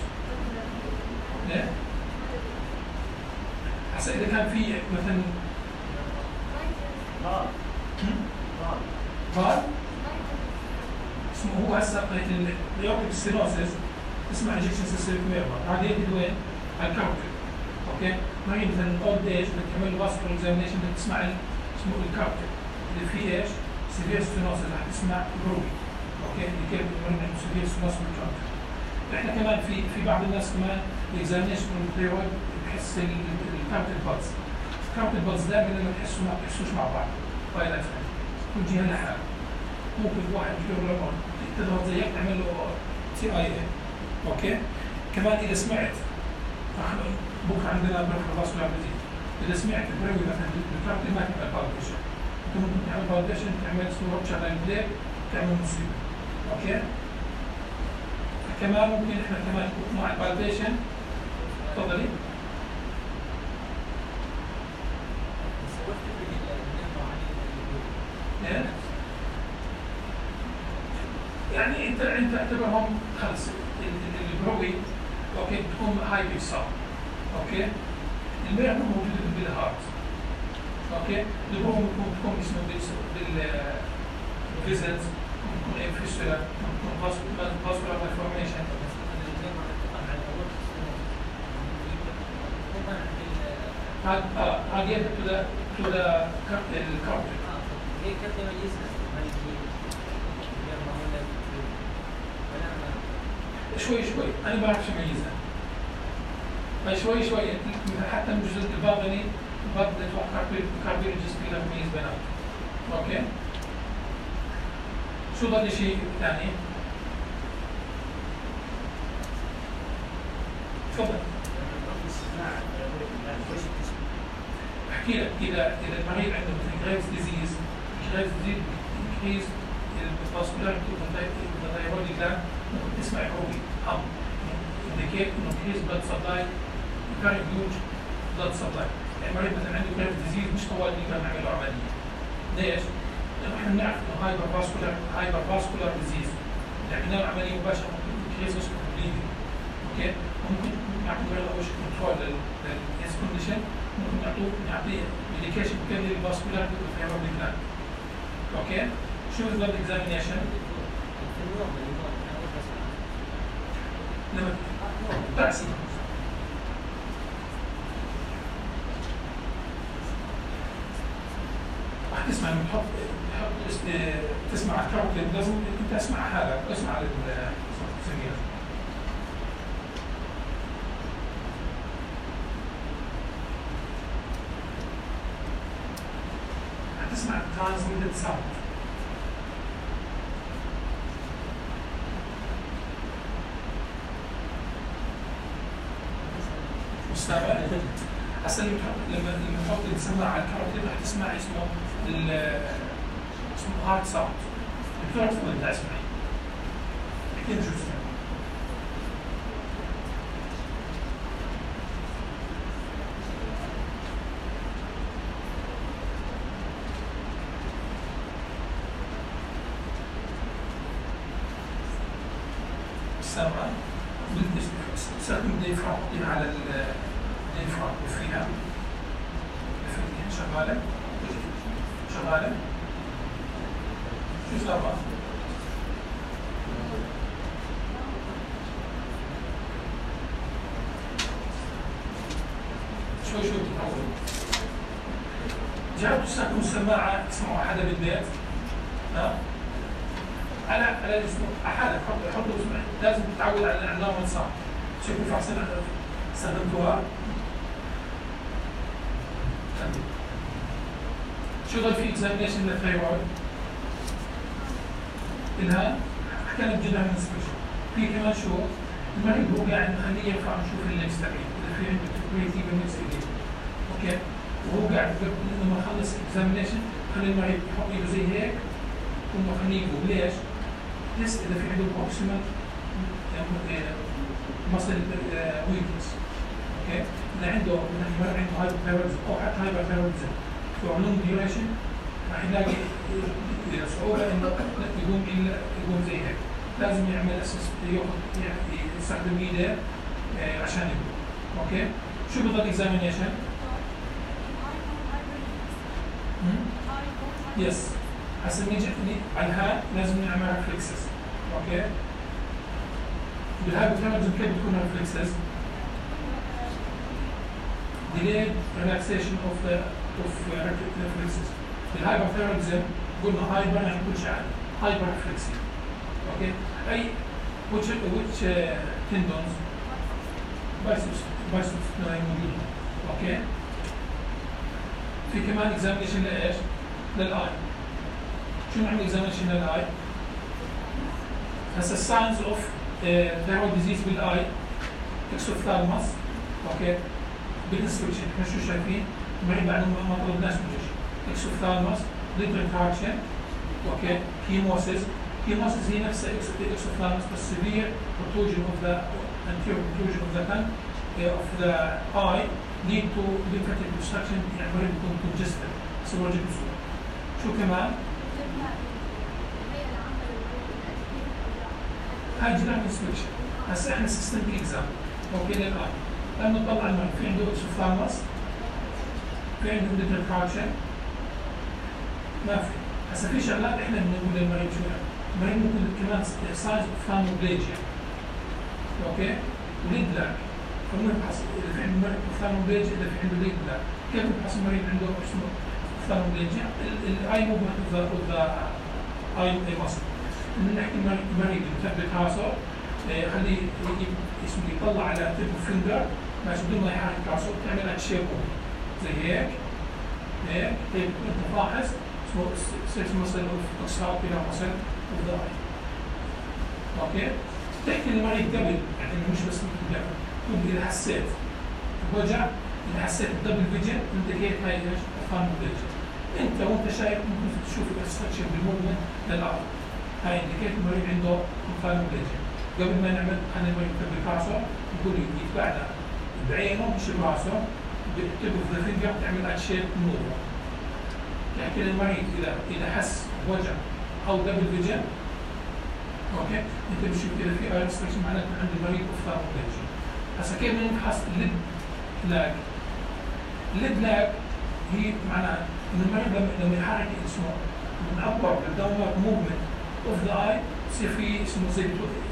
ليه؟ هسا إذا كان في مثلا غار غار غار اسمه هو هسا اليوتيك ستينوسيس اسمها انجكشن سيستميك ميرمر هذا يجي وين؟ على الكارت اوكي؟ ما هي مثلا اولد ايج بدك تعمل له فاسكولار اكزامينشن بدك تسمع اسمه الكارت اللي فيه ايش؟ سيفير ستينوسيس رح تسمع بروبي اوكي اللي كيف بنقول عنده سيفير ستينوسيس بالجوينت. احنا كمان في في بعض الناس كمان الاكزامينشن من الثيرويد بحس الكارت البلز الكارت البلز دائما لما تحسوا ما بتحسوش مع بعض باي لايف كل جهه لحالها. ممكن واحد يقول له تضغط زيك تعمل له تي اي اي اوكي. كمان اذا سمعت بكره عندنا بريفر فاسكولار ديزيز اذا سمعت البريوي مثلا الكارت ما تعمل بالبيشن ممكن تعمل بالبيشن تعمل صوره شغله بليك تعمل مصيبه اوكي. كمان ممكن احنا كمان مع البالبيشن تفضلي يعني انت انت اعتبرهم خلص البروي اوكي بتكون هاي بيك ساوند اوكي. الميرمر موجوده بالهارت اوكي. البروي ممكن تكون اسمه بالفيزلز ممكن ايه فيستولا ممكن فاسكولار مالفورميشن. هذا اه هذا يبدو تو ذا تو ذا الكارتج. هي كيف تميزها؟ شوي شوي انا ما بعرفش اميزها. شوي شوي حتى من الجزء الباطني ببدا اتوقع كارديولوجيست يقدر يميز بيناتهم. اوكي؟ شو ضل شيء ثاني؟ تفضل. احكي لك اذا اذا المريض عنده مثل جريفز ديزيز، جريفز ديزيز انكريز الفاسكولاريتي اوف ذا ثايرويد جلاند ممكن تسمع روبي هم indicate انه increase blood supply very huge blood supply يعني مريض مثلا عنده كريف ديزيز مش طوال نقدر نعمل له عمليه. ليش؟ لانه احنا بنعرف انه هايبر فاسكولار هايبر فاسكولار ديزيز عملنا له عمليه مباشره ممكن كيس اسمه بليدنج. اوكي؟ ممكن نعطي مريض اول شيء كنترول للهيز كونديشن، ممكن نعطوه نعطيه ميديكيشن بكل الفاسكولار فيبر بلان. اوكي؟ شو البلد اكزامينيشن؟ لما تأسي راح تسمع لما تحط تحط تسمع الكاروتيد لازم انت اسمع حالك اسمع السمير. تسمع ترانسميتد ساوند. مستمع؟ هسه لما لما لما تحط السماعه على الكاروتيد رح تسمع اسمه اسمه هارت ساوند. الدكتور تفضل انت اسمعي. احكي لنا شو تسمع. السماعه استخدم الديفرام على الديفرام فيها شغاله شغاله شو صار؟ شوي شوي تتعود. جربتوا تستخدموا السماعه تسمعوا حدا بالبيت؟ ها؟ على على الاسبوع حالك حط حط لازم تتعود على النورمال ساوند. شوفوا في عصير استخدمتوها. شو ضل في اكزامينيشن للثايرويد؟ الها حكينا بجد عن الانسبكشن. في كمان شو؟ المريض هو قاعد مخليه يرفع نشوف اللينكس تبعي، اذا في عنده تكويتي بالنكس ايديه. اوكي؟ وهو قاعد لما يخلص اكزامينيشن خلي المريض يحط ايده زي هيك ثم خليه يقول ليش؟ تست اذا في عنده بروكسيمال مصل ويكنس. اوكي؟ اذا عنده مثلا عنده هايبرثايرويدزم او حتى هايبرثايرويدزم فور لونج ديوريشن راح يلاقي صعوبه انه يقوم الا يقوم زي هيك. لازم يعمل اساس ياخذ يعني يستخدم ايده عشان يقوم. اوكي؟ شو بضل اكزامينيشن؟ يس. هسه نيجي على الهاي لازم نعمل ريفلكسز. اوكي؟ بالهايبرثايرويدزم كيف بتكون ريفلكسز؟ delayed relaxation of the of reflexes. بالهايبرثايرويدزم قلنا هايبر يعني كل شيء عادي. هايبر ريفلكسي. اوكي؟ اي which which uh, tendons biceps biceps موجود. اوكي؟ في كمان اكزامينشن لايش؟ للاي. شو نعمل اكزامينشن للاي؟ هسه الساينز اوف ثايرويد ديزيز بالاي اكسوثالموس. اوكي؟ بالانسبكشن احنا شو شايفين؟ المريض بعد ما طلبناش من شيء. اكسوثالموس ليبر تراكشن. اوكي؟ هيموسيس. هيموسيس هي نفسها اكسوثالموس بس severe protrusion of the anterior protrusion of the tongue of the eye lead to lymphatic obstruction يعني المريض يكون congested. سيولوجيك بصورة. شو كمان؟ هاي جنرال انسبكشن. هسه احنا سيستمك اكزام. اوكي للاي. لما نطلع المريض في عنده اكسوثالموس في عنده ليبر تراكشن ما في. هسه في شغلات احنا بنقول للمريض شو يعني؟ المريض ممكن كمان سايز اوفثالموبليجيا. اوكي؟ وليد لاك. فبنفحص اذا في عنده مريض اوفثالموبليجيا اذا في عنده ليد لاك. كيف نفحص المريض عنده اسمه اوفثالموبليجيا؟ الاي موفمنت اوف ذا اي ماسل. نحكي المريض يثبت راسه خليه اسمه يطلع على تيب فينجر ماشي بدون ما يحرك راسه تعمل تشيب زي هيك هيك هيك انت فاحص اسمه سيكس مسل اوف اوكسالبيلا مسل اوف ذا اي. اوكي؟ تحكي للمريض قبل يعني مش بس قبل تقول اذا حسيت بوجع اذا حسيت بدبل فيجن انديكيت هاي ايش؟ اوفثالموبليجيا. انت وانت شايف ممكن تشوف الاستركشر بالموفمنت للارض. هاي انديكيت المريض عنده اوفثالموبليجيا. قبل ما نعمل خلينا المريض يثبت راسه نقول يتبعنا بعينه مش براسه tip of the finger تعمل ات شيب موفر. لكن المريض اذا اذا حس بوجع او دبل فيجن اوكي انت بتشوف اذا في اي ريستريكشن معناته عند المريض اوفثالمولوجي. هسا كيف بدنا نفحص الليد لاج؟ الليد لاج هي معناها انه المريض لما لما يحرك اسمه من ابورد لداونورد موفمنت اوف ذا اي بصير في اسمه زي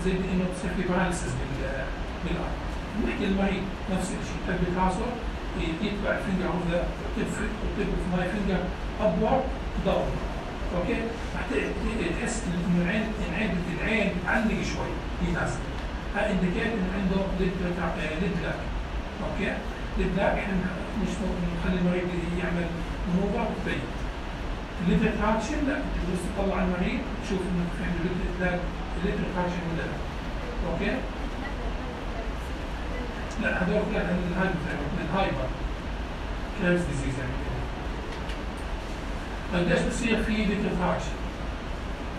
زي انه بصير في باراليسيس بال بالاي. بنحكي المريض نفس الشيء يثبت راسه يتبع الفينجر اوف ذا تب اوف ماي فينجر ابورد داون اوكي رح تحس انه العين العين العين بتعلق شوي يتناسب. هذا انديكيت انه عنده ليد ليد لاك اوكي ليد لاك احنا مش نخلي المريض يعمل منوفر وتبين. الليد ريتراكشن لا انت بس تطلع على المريض تشوف انه في عنده ليد لاك الليد ريتراكشن ولا لا اوكي. لا هذول كلها عند الهايبر الهايبر كيرز ديزيز يعني كده. طيب ليش بصير في ليد ريتراكشن؟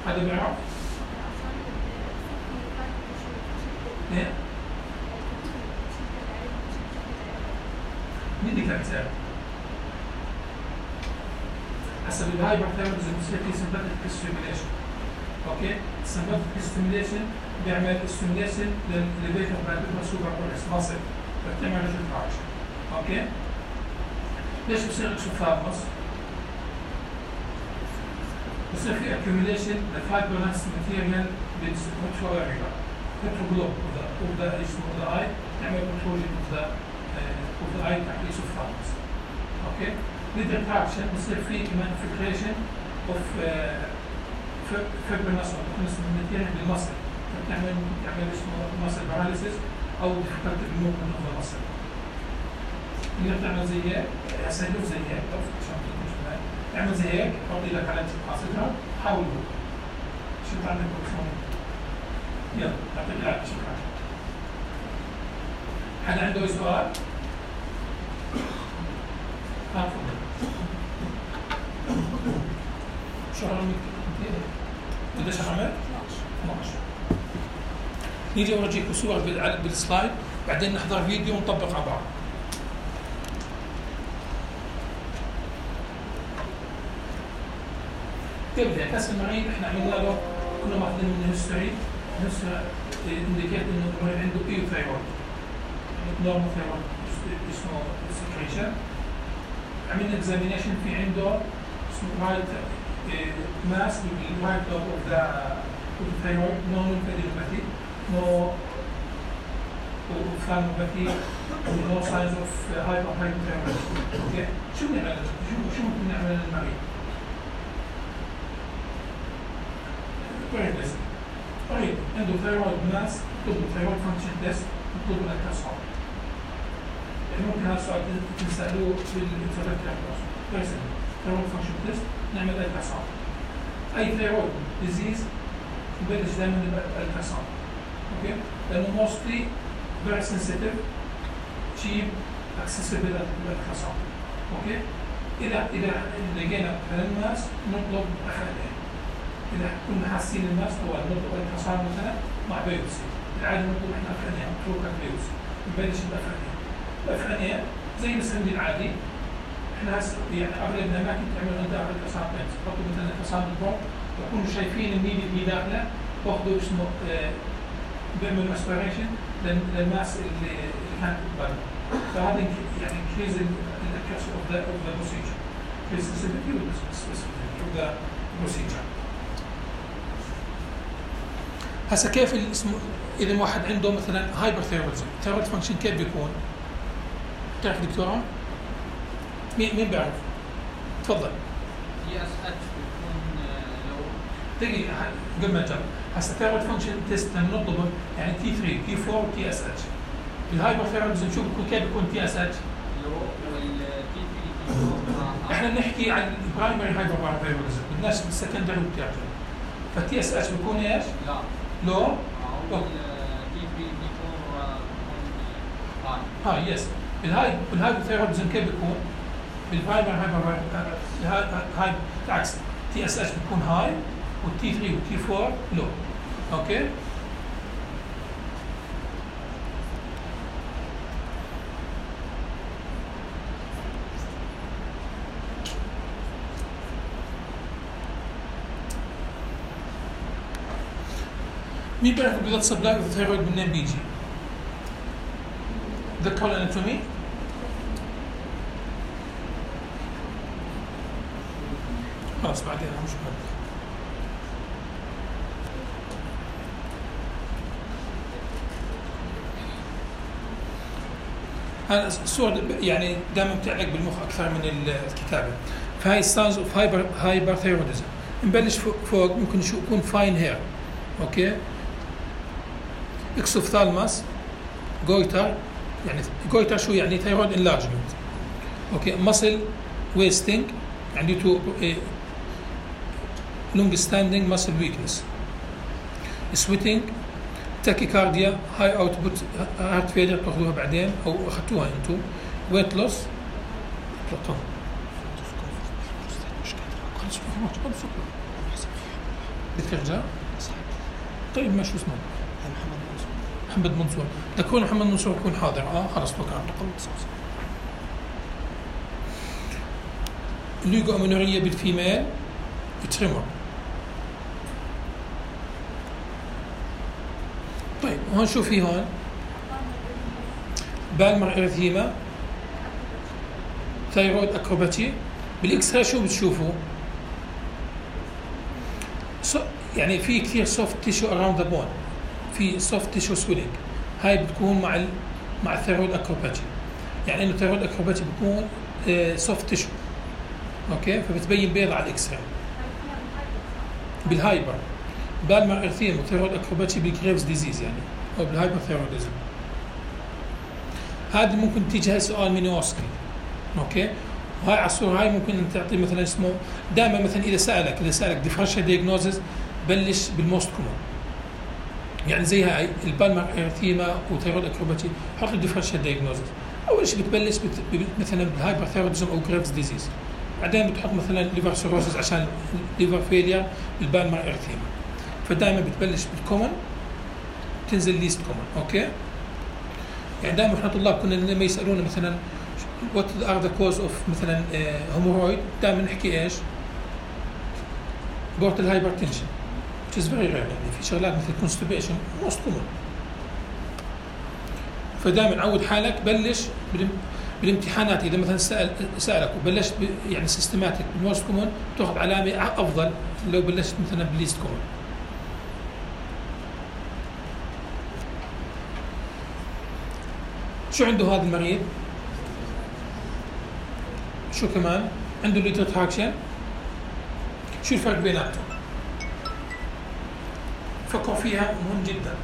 هذا بيعرف؟ ايه؟ مين اللي كان سأل؟ حسب الهايبر ثيرابيزم بصير في سمباتيك ستيميوليشن اوكي؟ السمباتيك ستيميوليشن بيعمل ستيميوليشن للليفيتر بالبيبر سوبر كورس ماسل فبتعمل ريتراكشن اوكي؟ ليش بصير اكسوثالموس؟ بصير في accumulation للفايبرنس ماتيريال بالريترو اريا ريترو جلوب اوف ذا اسمه ذا اي تعمل كنترول اوف ذا اوف ذا اي تحت الاكسوثالموس اوكي؟ ليد ريتراكشن بصير في كمان infiltration اوف فايبرنس او ماتيريال بالمصل فبتعمل بتعمل اسمه ماسل باراليسيس او difficulty movement of the muscle. اللي بتعمل زي هيك هسه له زي هيك عشان تكون اعمل زي هيك حط ايدك على قاصتها حاول شو عندك بكسون يلا يعطيك العافيه شكرا. حدا عنده سؤال؟ ها تفضل. شو رقمك؟ قديش رقمك؟ اثنعش. نيجي اورجيكم صور بالسلايد بعدين نحضر فيديو ونطبق على بعض. تبدا كاس المريض احنا عملنا له كنا ماخذين منه هيستوري هيستوري انديكيت انه المريض عنده ايو ثايرويد نورمال ثايرويد اسمه سكريشن. عملنا اكزامينيشن في عنده اسمه رايت ماس بالرايت لوب اوف ذا ثايرويد نو نيمفادينوباثي نو اوفثالموباثي نو ساينز اوف هايبر هايبوثايرويد اوكي. شو بنعمل شو شو ممكن نعمل للمريض؟ كويس طيب عنده ثايرويد ماس نطلب ثايرويد فانكشن تيست نطلب الالتراساوند. يعني ممكن هذا السؤال تسالوه بالانترفيرنس كويس ثايرويد فانكشن تيست نعمل التراساوند. اي ثايرويد ديزيز نبلش دائما بالالتراساوند اوكي لانه موستلي فيري سنسيتيف تشيب اكسسبل للالتراساوند اوكي. اذا اذا لقينا الماس نطلب اخذين. إذا كنا حاسين الماس هو نطلب التراساوند مثلا مع بيوبسي. العادة نطلب احنا افرانيا نتركها بيوبسي نبلش بافرانيا. الافرانيا زي السندي العادي احنا هسه يعني اغلب الاماكن تعمل عندها التراساوند تحطوا مثلا التراساوند بروب يكونوا شايفين النيل اللي داخله باخذوا اسمه اه بيعملوا اسبيريشن للماس اللي كانت برا. فهذا يعني انكريز الاكيرسي اوف ذا اوف ذا بروسيجر انكريز السنسيتيفيتي والسبيسيفيتي اوف ذا بروسيجر. هسه كيف الاسم اذا واحد عنده مثلا هايبر ثيرودزم ثيرود فانكشن كيف بيكون؟ بتعرف دكتوره؟ مين مين بيعرف؟ تفضل. تي اس اتش بيكون لو دقيقه قبل ما نجرب هسه ثيرود فانكشن تيست نطلبه يعني تي ثري تي فور تي اس اتش. الهايبر ثيرودزم شو بيكون كيف بيكون تي اس اتش؟ لو والتي ثري تي فور احنا بنحكي عن البرايمري هايبر ثيرودزم بدناش بالسكندري والتيرشري. فالتي اس اتش بيكون ايش؟ لا لو تي ثري تي فور ها يس الهاي الهايبر ثيرودزم كيف بيكون؟ بالبرايمري هايبر هاي بالعكس تي اس اتش بيكون هاي والتي ثري والتي فور لو اوكي. مين بيعرف البلاد سبلاي اوف ثايرويد منين بيجي؟ ذكروا الاناتومي؟ خلاص بعدين مش مهم. هذا الصور يعني دائما بتعلق بالمخ اكثر من الكتابه. فهاي ساينز اوف هايبر هايبر ثايروديزم. نبلش فوق ممكن شو يكون فاين هير. اوكي؟ اكسوفثالماس جويتر يعني جويتر شو يعني ثايرويد انلارجمنت. اوكي ماسل ويستنج يعني تو لونج ستاندينج ماسل ويكنس. سويتنج تاكيكارديا هاي اوتبوت هارت فيلير تاخذوها بعدين او اخذتوها انتم. ويت لوس بترجع طيب ما شو اسمه محمد منصور تكون محمد منصور يكون حاضر اه خلص توكل رقم الليجو امينوريه بالفيميل تريمور. طيب هون شو في هون بالمر ارثيما ثايرويد اكروباتي. بالاكس راي شو بتشوفوا؟ يعني في كثير سوفت تيشو اراوند ذا بون في سوفت تيشو سويلينج هاي بتكون مع ال مع الثايرويد اكروباتي يعني انه الثايرويد اكروباتي بتكون سوفت تيشو اوكي فبتبين بيض على الاكس راي. بالهايبر بالمر ارثيما وثايرويد اكروباتي بالجريفز ديزيز يعني او بالهايبر ثايرويدزم. هذه ممكن تيجي هاي سؤال مينوسكي اوكي وهاي على الصوره هاي ممكن تعطي مثلا اسمه دائما مثلا اذا سالك اذا سالك ديفرنشال دايجنوزز بلش بالموست كومون يعني زي هاي البالمر ارثيما وثايرويد اكروباتي حط له ديفرنشال دايجنوزز. اول شيء بتبلش بت... مثلا بالهايبر ثايرويدزم او جريفز ديزيز بعدين بتحط مثلا ليفر سيروسس عشان ليفر فيلير بالبالمر ارثيما. فدائما بتبلش بالكومن تنزل ليست كومن اوكي يعني دائما احنا طلاب كنا لما يسالونا مثلا what are the cause of مثلا هومورويد دائما نحكي ايش؟ بورتال هايبرتنشن which is very rare يعني في شغلات مثل constipation most common. فدائما عود حالك بلش بالامتحانات اذا مثلا سال سالك وبلشت يعني سيستماتيك بالموست كومن تاخذ علامه افضل لو بلشت مثلا بالليست كومن. شو عنده هذا المريض؟ شو كمان؟ عنده ليتر تراكشن. شو الفرق بيناتهم؟ فكروا فيها مهم جدا.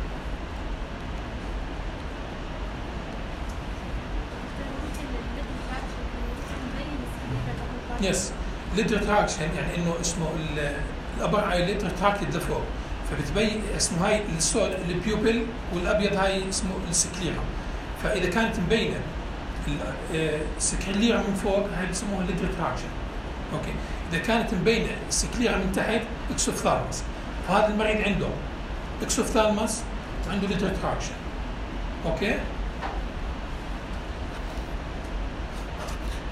يس ليتر تراكشن يعني انه اسمه الابر اي ليتر تراكتد لفوق فبتبين اسمه هاي السود البيوبل والابيض هاي اسمه السكليرا. فاذا كانت مبينه السكليرا من فوق هاي بسموها ليتر تراكشن اوكي. اذا كانت مبينه السكليرا من تحت اكسوفثالمس. فهذا المريض عنده اكسوفثالمس وعنده ليتر تراكشن اوكي.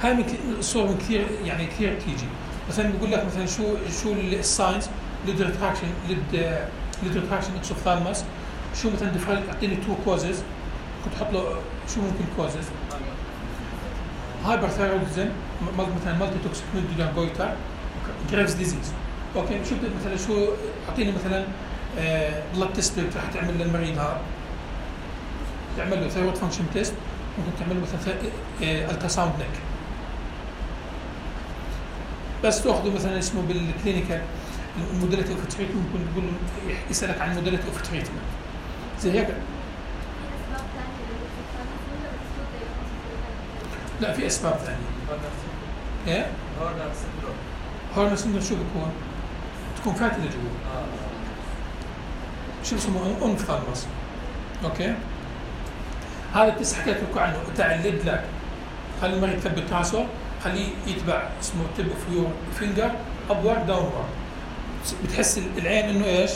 هاي الصور من كثير يعني كثير تيجي مثلا بيقول لك مثلا شو شو الساينز ليتر تراكشن ليتر تراكشن اكسوفثالمس شو مثلا اعطيني تو كوزز كنت احط له شو ممكن كوزز هايبر ثايرويدزم مثلا مالتي توكسيك نودولار جويتر جريفز ديزيز اوكي. شو مثلا شو اعطيني مثلا بلاد تيست رح تعمل للمريض هذا تعمل له ثايرويد فانكشن تيست ممكن تعمل له مثلا الترا ساوند نيك بس تاخذه مثلا اسمه بالكلينيكال الموديلتي اوف تريتمنت ممكن تقول له يسالك عن الموديلتي اوف تريتمنت زي هيك. لا في اسباب ثانيه. ايه؟ هورنر سندروم. هورنر سندروم شو بكون؟ تكون فاتله جوا. اه شو اسمه اونفثالمس. اوكي؟ هذا التست حكيت لكم عنه تاع الليد لاك. خلي المريض يثبت راسه، خليه يتبع اسمه تب اوف يور فينجر ابورد داونورد. بتحس العين انه ايش؟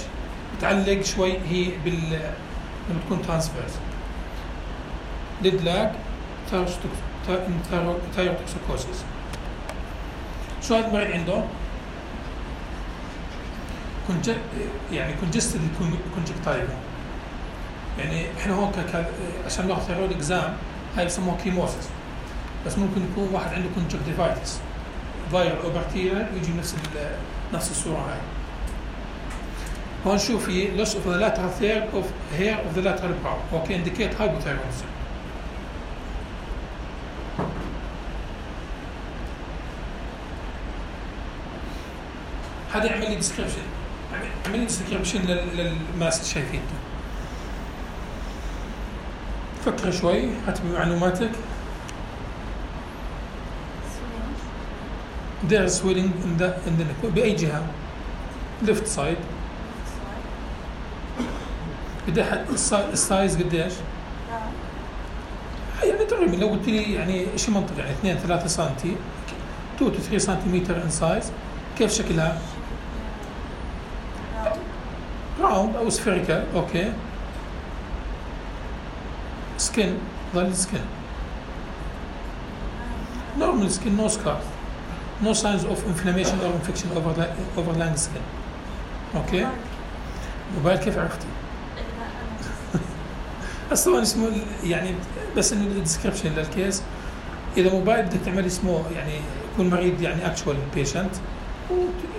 بتعلق شوي هي بال لما تكون ترانسفيرس. ليد لاك ثايروتوكسيكوسيس. شو هذا المريض عنده؟ كونج يعني كونجستد كونجكتايفا. يعني احنا هون ك... عشان ناخذ ثيرويد اكزام هاي بسموها كيموسيس، بس ممكن يكون واحد عنده كونجكتيفايتس فايرال او بكتيريال يجي نفس ال... نفس الصوره هاي. هون شوف في loss of the lateral third of hair of the lateral brow. اوكي indicate hypothyroidism. هذا يعمل لي ديسكريبشن، عمل لي ديسكريبشن للماس اللي شايفينه. فكر شوي، هات بمعلوماتك. There is swelling in the in the neck. بأي جهة؟ left side. قديش السايز قديش؟ يعني تقريبا لو قلت لي يعني شيء منطقي يعني اثنين ثلاثة سنتي اثنين to ثلاثة سنتيمتر ان سايز. كيف شكلها؟ راوند او سفيريكال. اوكي. سكين ظل سكين. normal skin, no scar, no signs of inflammation or infection over the overlying skin. اوكي. موبايل كيف عرفتي؟ اصلا اسمه يعني بس انه الديسكربشن للكيس. اذا موبايل بدك تعمل اسمه يعني يكون مريض يعني اكشوال بيشنت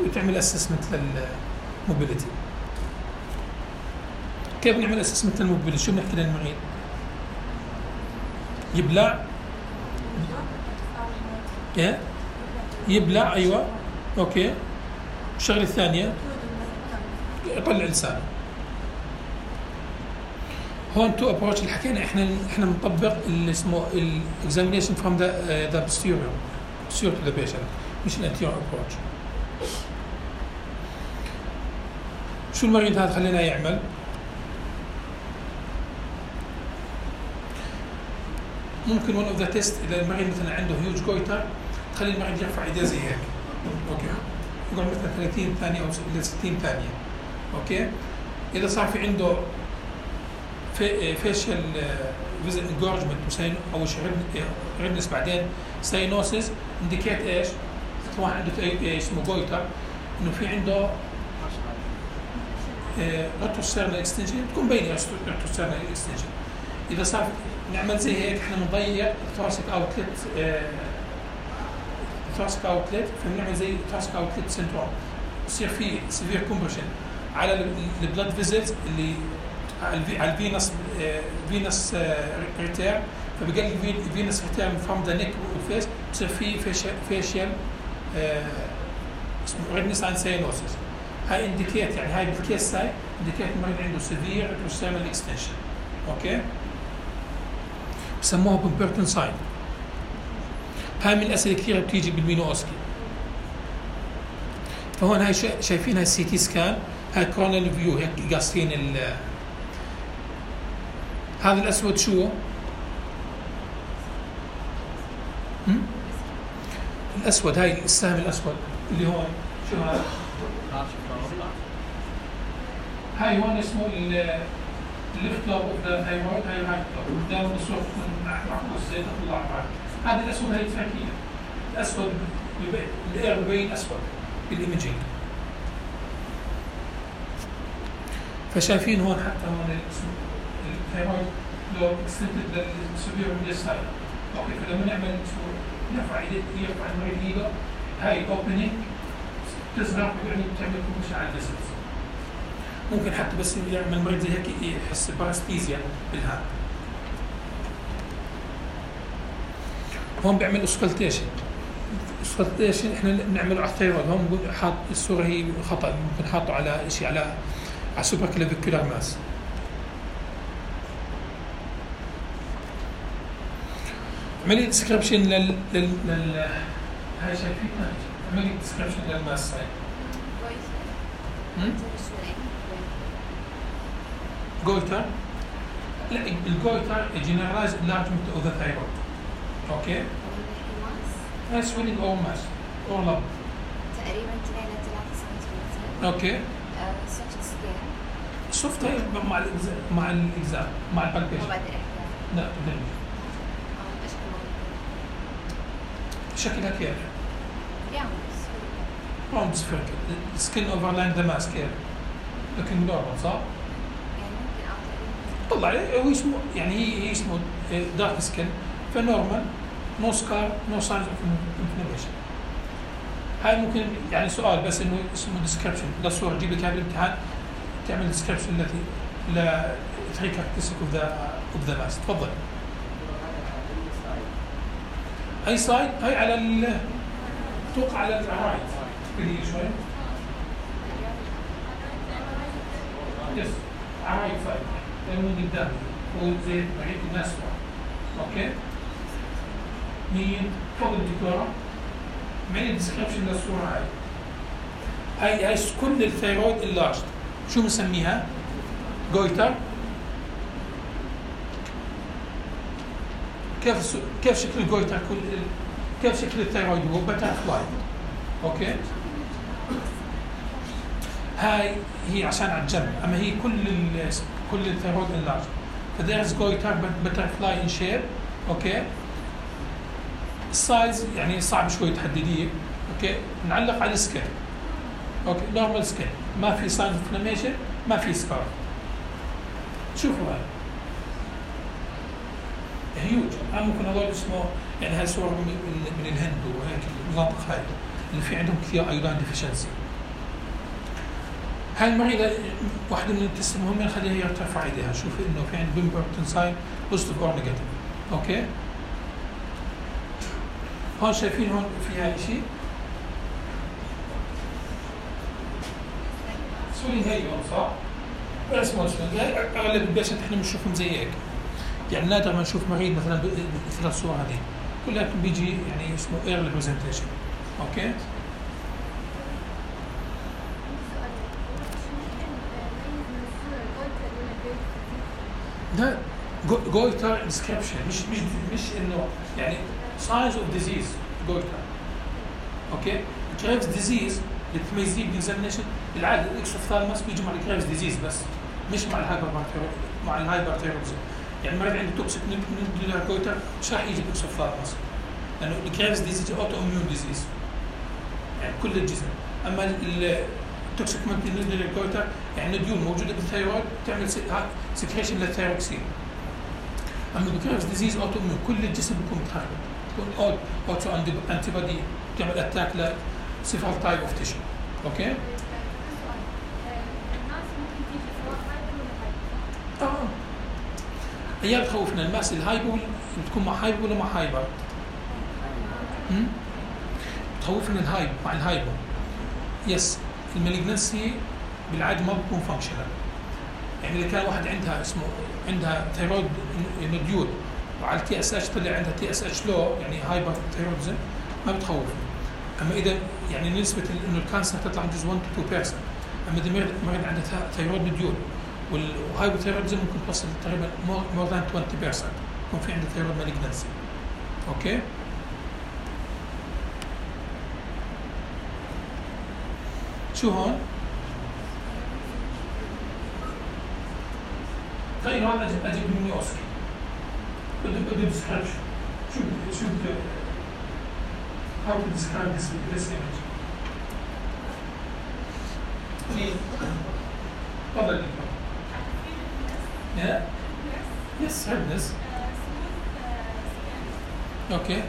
وتعمل اسسمنت للموبيليتي. كيف نعمل اسسمنت للموبيليتي؟ شو بنحكي للمريض؟ يبلع. ايه يبلع. ايوه. اوكي. الشغله الثانيه يطلع لسانه. هون تو ابروتش اللي حكينا احنا احنا بنطبق اللي اسمه الاكزامينيشن فروم ذا ذا posterior posterior to the patient مش الانتيريور ابروتش. شو المريض هذا خلينا يعمل؟ ممكن ون اوف ذا تيست اذا المريض مثلا عنده هيوج جويتر تخلي المريض يرفع ايديه زي هيك. اوكي. يقعد مثلا ثلاثين ثانيه او الى ستين ثانيه. اوكي. اذا صار في عنده فيشل فيزل انجورجمنت وسين او ريدنس بعدين ساينوسيس انديكيت ايش؟ مثل واحد عنده اسمه جويتر انه في عنده ريتروسترنال اكستنشن تكون باينه ريتروسترنال اكستنشن. اذا صار نعمل زي هيك احنا بنضيق الثوراسيك اوتلت الثوراسيك اوتلت فبنعمل زي الثوراسيك اوتلت سندروم. بصير في سيفير كومبريشن على البلاد فيزلز اللي على الفينس فينس ريتير فبقلل الفينس ريتير فروم ذا نيك والفيس بصير في فيشيال اسمه ريدنس اند ساينوسيس. هاي انديكيت يعني هاي بالكيس هاي انديكيت المريض عنده سيفير ريتروسترنال اكستنشن. اوكي. بسموها بومبرتون ساين. هاي من الاسئله كثيره بتيجي بالمينو اوسكي. فهون هاي شايفين هاي السي تي سكان هاي كورونال فيو هيك قاصين ال هذا الاسود شو؟ هم؟ الاسود هاي السهم الاسود اللي هون شو هذا؟ هاي هون اسمه الليفت لوب اوف ذا ثايرويد. هاي الرايت لوب قدام الصوره تكون معكوس زي تطلع معك. هذا الاسود هاي التركيه. الاسود الاير بين اسود بالايمجينج. فشايفين هون حتى هون اسمه الثايرويد لو اكستنتد للسوبيريور ميديال سايد. اوكي. فلما نعمل نرفع ايديه يرفع المريض ايده هاي اوبننج تصغر يعني بتعمل كومبريشن على الفيسلز. ممكن حتى بس يعمل المريض زي هيك يحس باراستيزيا بالهان. هون بيعمل اسكالتيشن. اسكالتيشن احنا بنعمله على الثايرويد. هون بنقول حاط الصوره هي خطا ممكن حاطه على شيء على على سوبر كلافيكولار ماس. عملية ديسكريبشن لل لل لل هاي شايفينها عملية ديسكريبشن للماس هاي. جويتر. لا الجويتر جنرالايز انلارجمنت اوف ذا ثايرويد. اوكي. هاي سويلينج او ماس او لب. تقريبا اثنين إلى ثلاثة سنتيمتر. اوكي. سوفت سكين. سوفت هاي مع الاجزاء مع الاجزاء مع البالبيشن. ما بقدر احكي. لا بدري. شكلها كيف؟ يعني راوند سفيركل. السكن اوفرلاين ذا ماسك كيف؟ لكن نورمال صح؟ يعني ممكن اه تقريبا طلع عليه هو اسمه يعني هي هي اسمه دارك سكن فنورمال نو سكار نو ساينز اوف انفلاميشن. هاي ممكن يعني سؤال بس انه اسمه ديسكربشن للصوره تجيب لك هذا الامتحان تعمل ديسكربشن التي ل ثري كاركترستيك اوف ذا اوف ذا ماس. تفضل. اي سايد؟ هاي على ال توقع على الرايت كثير شوي. يس على الرايت سايد من قدام هو زي بعيد الناس اوكي. مين؟ تفضل دكتوره. معي ديسكربشن للصوره هاي. هاي هاي كل الثيرويد اللارج شو بنسميها؟ جويتر. كيف كيف شكل الجويتر كل كيف شكل الثيرويد هو باترفلاي اوكي. هاي هي عشان على الجنب اما هي كل ال كل الثيرويد اللارج فديرز جويتر باترفلاي ان شيب اوكي. السايز يعني صعب شوي تحدديه اوكي. نعلق على السكن اوكي نورمال سكن ما في ساين انفلاميشن ما في سكار. شوفوا هاي هيوج. ها ممكن هذول اسمه يعني هاي صور من, من الهند وهيك المناطق هاي اللي في عندهم كثير ايودين ديفيشنسي. هاي المريضه واحده من التست المهمه نخليها هي ترفع ايديها. شوفي انه في عند بيمبرتون ساين بوزيتيف اور نيجاتيف اوكي. هون شايفين هون فيها شيء سولين هي هون صح؟ بس ما اغلب البيشنت احنا بنشوفهم زي هيك يعني نادر ما نشوف مريض مثلا مثل الصوره هذه كلها بيجي يعني اسمه ايرلي برزنتيشن اوكي. ده جويتر ديسكربشن مش مش مش انه يعني ساينز اوف ديزيز جويتر اوكي. كريفز ديزيز اللي تميزيه بالاكزامينشن بالعاده الاكسوفثالموس بيجي مع الكريفز ديزيز بس مش مع الهايبر مع الهايبرثيرويدزم. يعني المريض عنده توكسيك نودولار جويتر مش راح يجي بالاكسوفثالموس لانه الكريفز ديزيز اوتو اميون ديزيز يعني كل الجسم. اما التوكسيك نودولار جويتر يعني نديول موجوده بالثيرويد تعمل سكريشن للثيروكسين. اما الكريفز ديزيز اوتو اميون كل الجسم بيكون متخرب بيكون اوتو انتي بودي تعمل اتاك ل several type of tissue اوكي. اه هي بتخوفنا الماس الهايبو بتكون مع هايبو ولا مع هايبر؟ امم بتخوفنا الهايب مع الهايبو. يس المالجنسي بالعاده ما بتكون فانكشنال يعني اذا كان واحد عندها اسمه عندها ثيرويد نوديول وعلى التي اس اتش طلع عندها تي اس اتش لو يعني هايبر ثيرويدزم ما بتخوفنا. اما اذا يعني نسبه انه الكانسر تطلع جزء واحد تو اثنين بالمئة. اما اذا مريض عنده ثيرويد نوديول والهايبوثيرويدزم ممكن توصل تقريبا مور ذان عشرين بالمئة يكون في عنده ثيرويد مالجنسي اوكي. شو هون؟ طيب هون اجيب اجيب مني اوسكي بده بده ديسكربشن شو شو بده how to describe this this image. تفضل. Yeah. Yes, redness. Okay.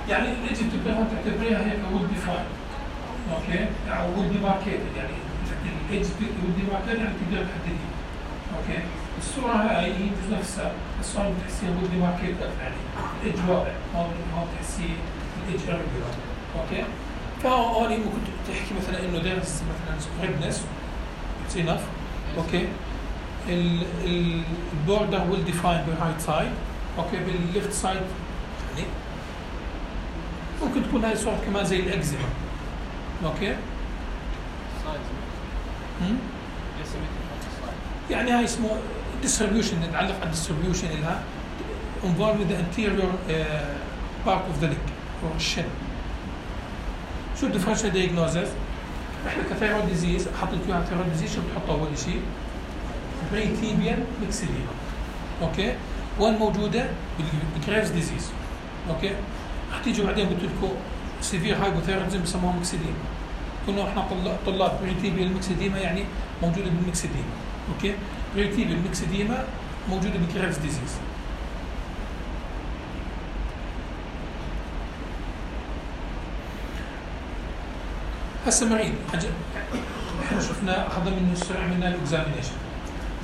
يعني الإيدج بتعتبرها تعتبريها هيك would define. اوكي او would demarcated يعني الإيدج would demarcated يعني تقدر تحدديه. اوكي الصورة هاي هي نفسها الصورة بتحسيها would demarcated يعني الإيدج واضح هون هون تحسيه الإيدج irregular. اوكي فهون ممكن تحكي مثلا انه there's مثلا redness it's enough. اوكي البوردر will define the right side. اوكي بالليفت سايد يعني ممكن تكون هاي صورة كمان زي الأكزيما. اوكي امم يعني هاي اسمه distribution نتعلق على distribution لها involved with the anterior uh, part of the leg or shin. شو الديفرنشال دايجنوزز؟ احنا كثيرويد ديزيز حاطين فيها ثيرويد ديزيز شو بتحطوا اول شيء؟ بريتيبيان ميكسيليما. اوكي؟ وين موجوده؟ بالجريفز ديزيز. اوكي؟ رح تيجوا بعدين قلت لكم سيفير هايبوثايرودزم بسموها ميكسيديما. كنا احنا طلاب بريتيبيال ميكسيديما يعني موجوده بالميكسيديما. اوكي، بريتيبيال ميكسيديما موجوده بكريفز ديزيز. هسه مريض احنا شفنا اخذنا منه السرعه عملنا له اكزامينيشن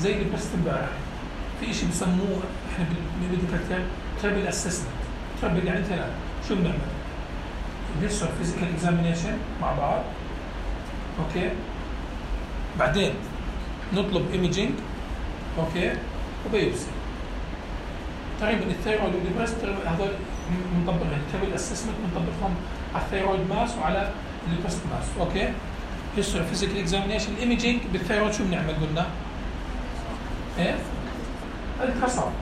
زي اللي بس امبارح. في شيء بسموه احنا بالميديكال ترابل اسسمنت. ترابل يعني ثلاث. شو بنعمل؟ بنسوي فيزيكال اكزامينيشن مع بعض. اوكي، بعدين نطلب ايميجينج. اوكي، وبيوبسي. تقريبا الثيرويد والبريست هذول بنطبقهم. الترابل اسسمنت بنطبقهم على الثيرويد ماس وعلى البريست ماس. اوكي، هيستوري فيزيكال اكزامينيشن. الايميجينج بالثيرويد شو بنعمل قلنا؟ ايه؟ التراساوند.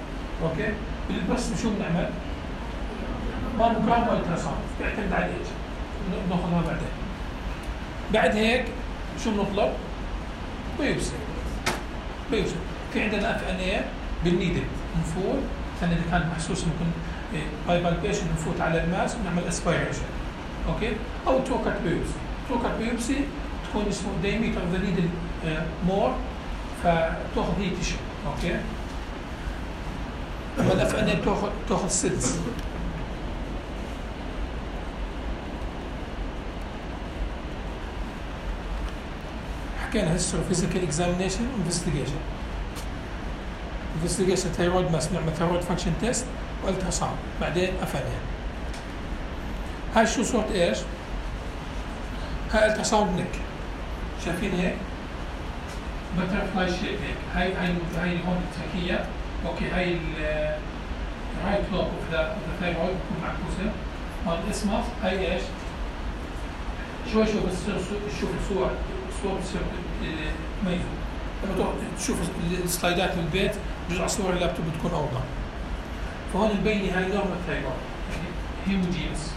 اوكي، بالبريست شو بنعمل؟ ماموجرام والتراساوند، بيعتمد على الايج. بناخذها بعدين. بعد هيك شو بنطلب؟ بيوبسي. بيوبسي. في عندنا اف ان اي بالنيدل نفوت، الثاني اللي كانت محسوسه ممكن باي بالبيشن نفوت على الماس ونعمل اسبيريشن. اوكي، او توكت بيوبسي. توكت بيوبسي تكون اسمه diameter of the needle مور، فتاخذ هي تيشو. اوكي، اما الاف ان اي بتاخذ تاخذ سيلز. حكينا هيستوري فيزيكال اكزامينيشن انفستيجيشن. انفستيجيشن ثيرويد ماس بنعمل ثيرويد فانكشن تيست والتراساوند، بعدين اف ان اي. هاي شو صورة ايش؟ هاي التراساوند نك. شايفين هيك؟ بترفلاي شيب هيك. هاي هاي هاي هون التركية. اوكي، هاي الرايت لوب اوف ذا ثيرويد بتكون معكوسة. هون الاسمس هاي ايش؟ شوي شوي بس تشوف الصور الصور بتصير ميزة. لما تروح تشوف السلايدات بالبيت جزء على صور اللابتوب بتكون اوضح. فهون مبينة هاي نورمال ثيرويد هيموجينس.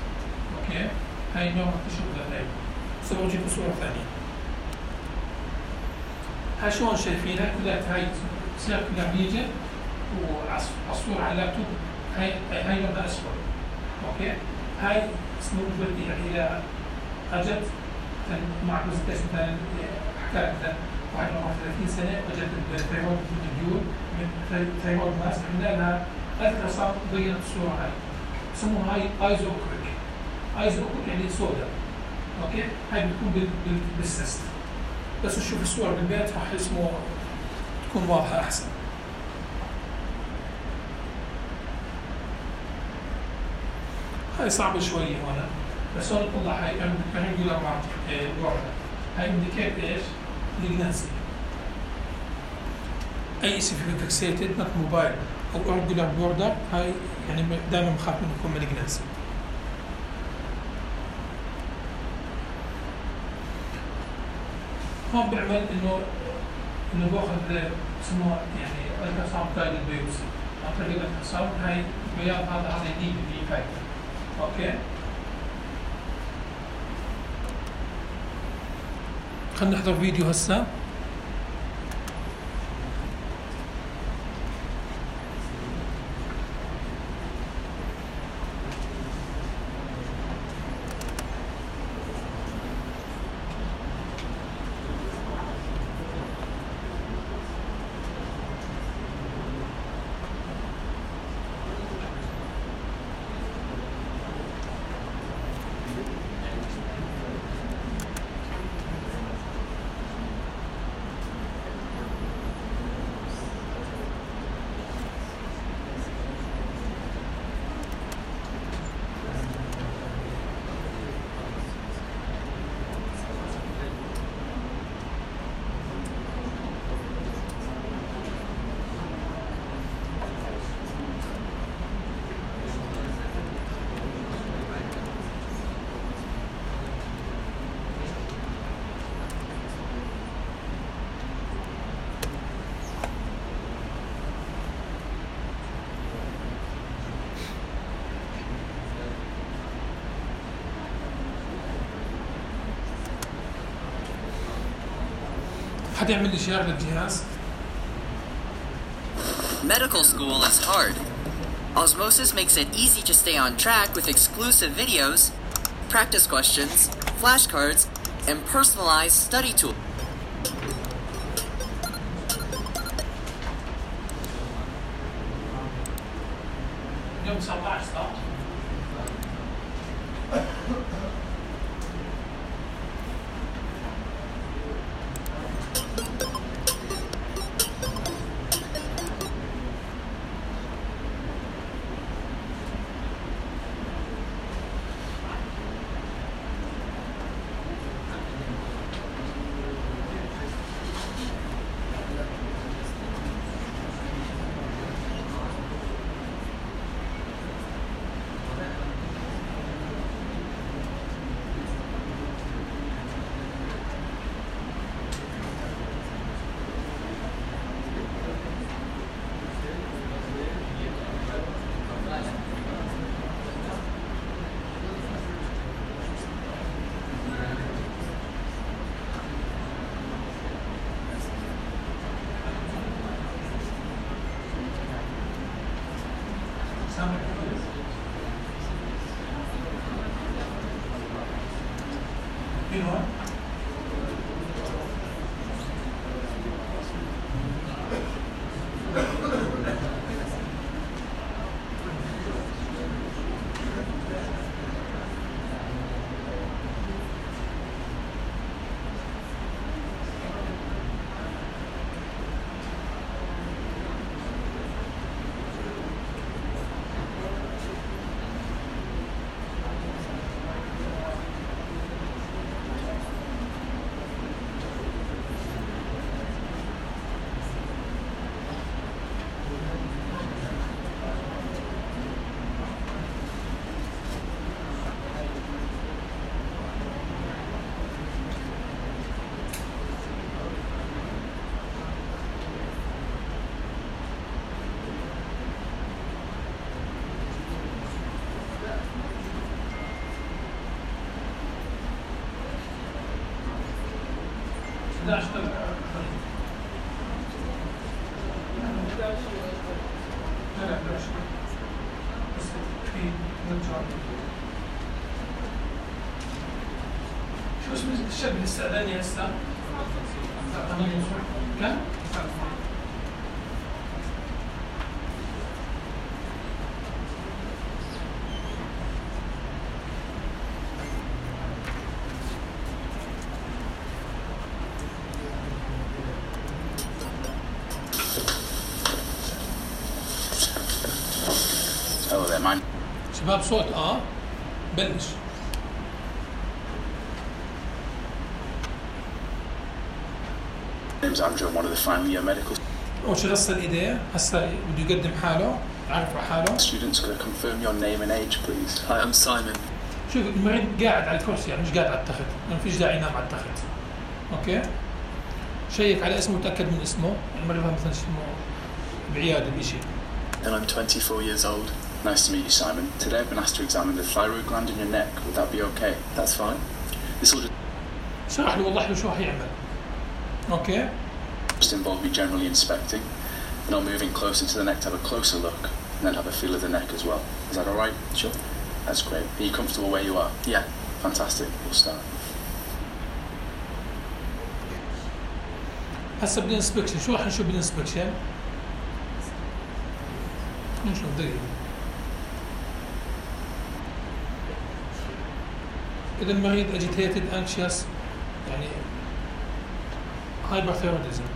اوكي، هاي نورمال تشوف ذا ثيرويد. سووا جيبوا صورة ثانية. هاي شلون شايفينها؟ كلها هاي سيركلر ريجن، والصورة على اللابتوب هاي هاي لونها اسود. اوكي، هاي سنود بدي يعني اذا اجت مع برزنتيشن مثلا حكايه مثلا واحد عمره ثلاثين سنه واجت الثيرويد مديول من ثيرويد ماس، عملنا لها التراساوند بينت الصوره هاي. بسموها هاي ايزوكريك. ايزوكريك يعني سودا. اوكي، هاي بتكون بالسيست. بس تشوف الصور بالبيت راح اسمه تكون واضحه احسن. هاي صعبه شويه هون، بس هون طلع هاي ريجولار بوردر. هاي انديكيت ايش؟ ليجنانسي. اي شيء في فيكسيتد نوت موبايل او ريجولار بوردر، هاي يعني دائما بخاف منه يكون مالجنانسي. هون بيعمل انه انه باخذ بسموها يعني التراساوند جايد بيوبسي. عن طريق التراساوند هاي بياض هذا هذا يجيب في فايدة. اوكي، خلينا نحضر فيديو هسه. حد يعمل لي شير للجهاز؟ Medical school is hard. Osmosis makes it easy to stay on track with exclusive videos, practice questions, flashcards, and personalized study tools. يوم سبعة عشر صح؟ You know what? احدعش لا لا احدعش بس في نرجع شو اسم الشاب اللي استأذني هسه؟ كم؟ شباب صوت اه بلش name's Andrew. I'm one of the final year medical أول شي غسل إيديه هسه بده يقدم حاله يعرف على حاله. students. Could I confirm your name and age please? Hi, I'm Simon. شوف المريض قاعد على الكرسي يعني مش قاعد على التخت، ما فيش داعي ينام على التخت. اوكي؟ شيك على اسمه وتأكد من اسمه، المريض مثلا اسمه بعيادة بشيء. And I'm twenty-four years old. Nice to meet you, Simon. Today I've been asked to examine the thyroid gland in your neck. Would that be okay? That's fine. This will just شرح له وضح له شو حيعمل. اوكي؟ just involve me generally inspecting, and I'll move in closer to the neck to have a closer look, and then have a feel of the neck as well. Is that all right? Sure. That's great. Are you comfortable where you are? Yeah. Fantastic. We'll start. هسه بدنا انسبكشن، شو راح نشوف بالانسبكشن؟ نشوف دقيقة. إذا المريض agitated, anxious يعني hyperthyroidism.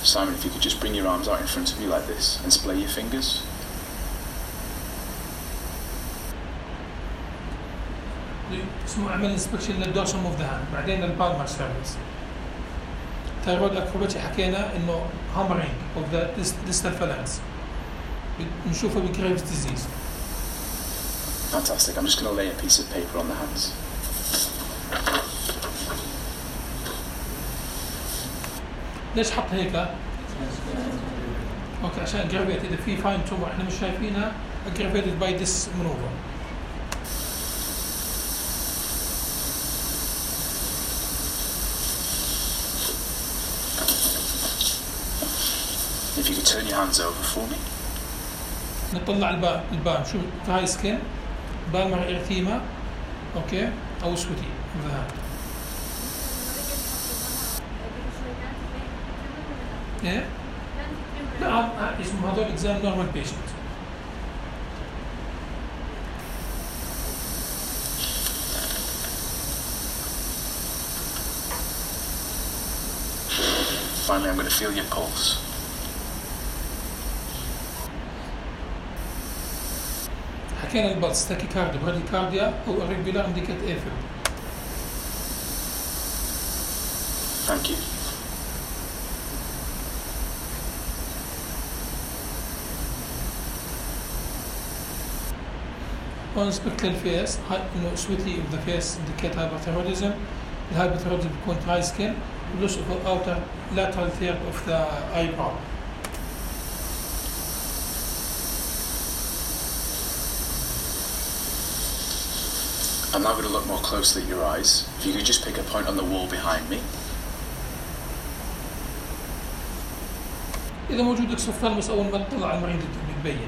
Simon, if you could just bring your arms out in front of you like this and splay your fingers. اسمه اعمل انسبكشن للدورسال اوف ذا هاند، بعدين للبالمر سيرفيس. تايرويد اكروباتي حكينا انه هامرينج اوف ذا ديستال فالانس بنشوفه بجريفز ديزيز. Fantastic. I'm just going to lay a piece of paper on the hands. ليش حط هيك؟ اوكي عشان اجرافيت اذا في فاين تومر احنا مش شايفينها aggravated by this maneuver. if you could turn your hands over for me. نطلع البان البان شو dry skin بان مع إرثيما أوكي أو سوتي ذهب. إيه؟ لا اسمه هذول إكزام نورمال بيشنت. Finally, I'm going to feel your pulse. حكينا البلس تاكيكارديا براديكارديا أو irregular indicate AFib. Thank you. On spectral face, إنه sweaty of the face indicate hyperthyroidism. الهايبرثيروديزم بيكون dry skin. Loss of the outer lateral third of the eyebrow. I'm now going to look more closely at your eyes. If you could just pick a point on the wall behind me. إذا موجود اكسوفثالموس أول ما تطلع على المريض بتبين،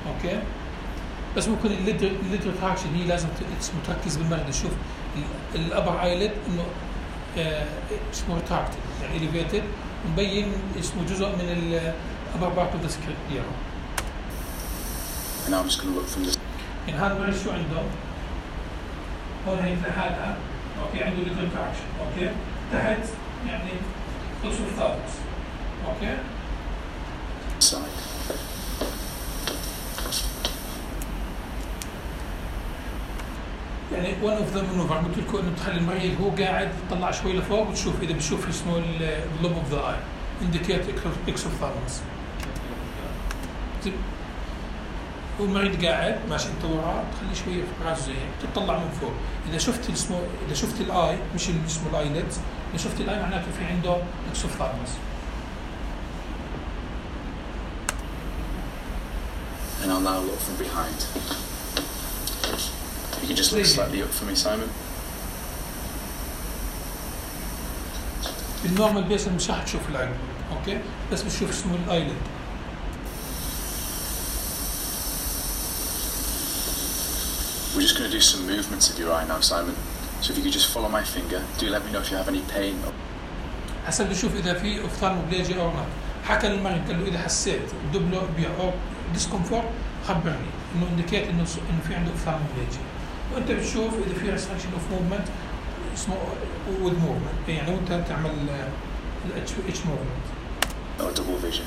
أوكي؟ بس ممكن الليد الليد ريتراكشن هي لازم تركز بالمريض تشوف الأبر ايلid إنه اسمه ريتراكتد يعني إليفيتد مبين اسمه جزء من الأبر بارت أوف ذا سكريبيرا. And I'm just going to look from this. يعني هذا المريض شو عنده؟ هون هي في حالها أوكي عنده ليد ريتراكشن أوكي؟ تحت يعني اكسوفثالموس أوكي؟ Side. يعني one of the maneuver قلت لكم انه تخلي المريض هو قاعد تطلع شوي لفوق وتشوف اذا بتشوف اسمه اللوب اوف ذا اي انديكيت اكسوفثالموس. والمريض قاعد ماشي انت وراه تخلي شويه في راسه زي هيك تطلع من فوق. اذا شفت اسمه اذا شفت الاي مش اللي اسمه الايليد اذا شفت الاي معناته في عنده اكسوفثالموس. And I'll now look from behind. You can just look slightly up for me, Simon. بالنورمال بيس مش راح تشوف الايليد اوكي بس بتشوف اسمه الايليد. We're just going to do some movements of your eye now, Simon. So if you could just follow my finger, do let me know if you have any pain. حسب بشوف اذا في اوفثالموبليجيا او لا. حكى المريض قال له اذا حسيت دبلو او ديسكومفورت خبرني انه انديكيت انه انه في عنده اوفثالموبليجيا. وانت بتشوف اذا في ريستركشن اوف موفمنت اسمه وذ موفمنت يعني وانت تعمل الاتش اتش موفمنت او دبل فيجن.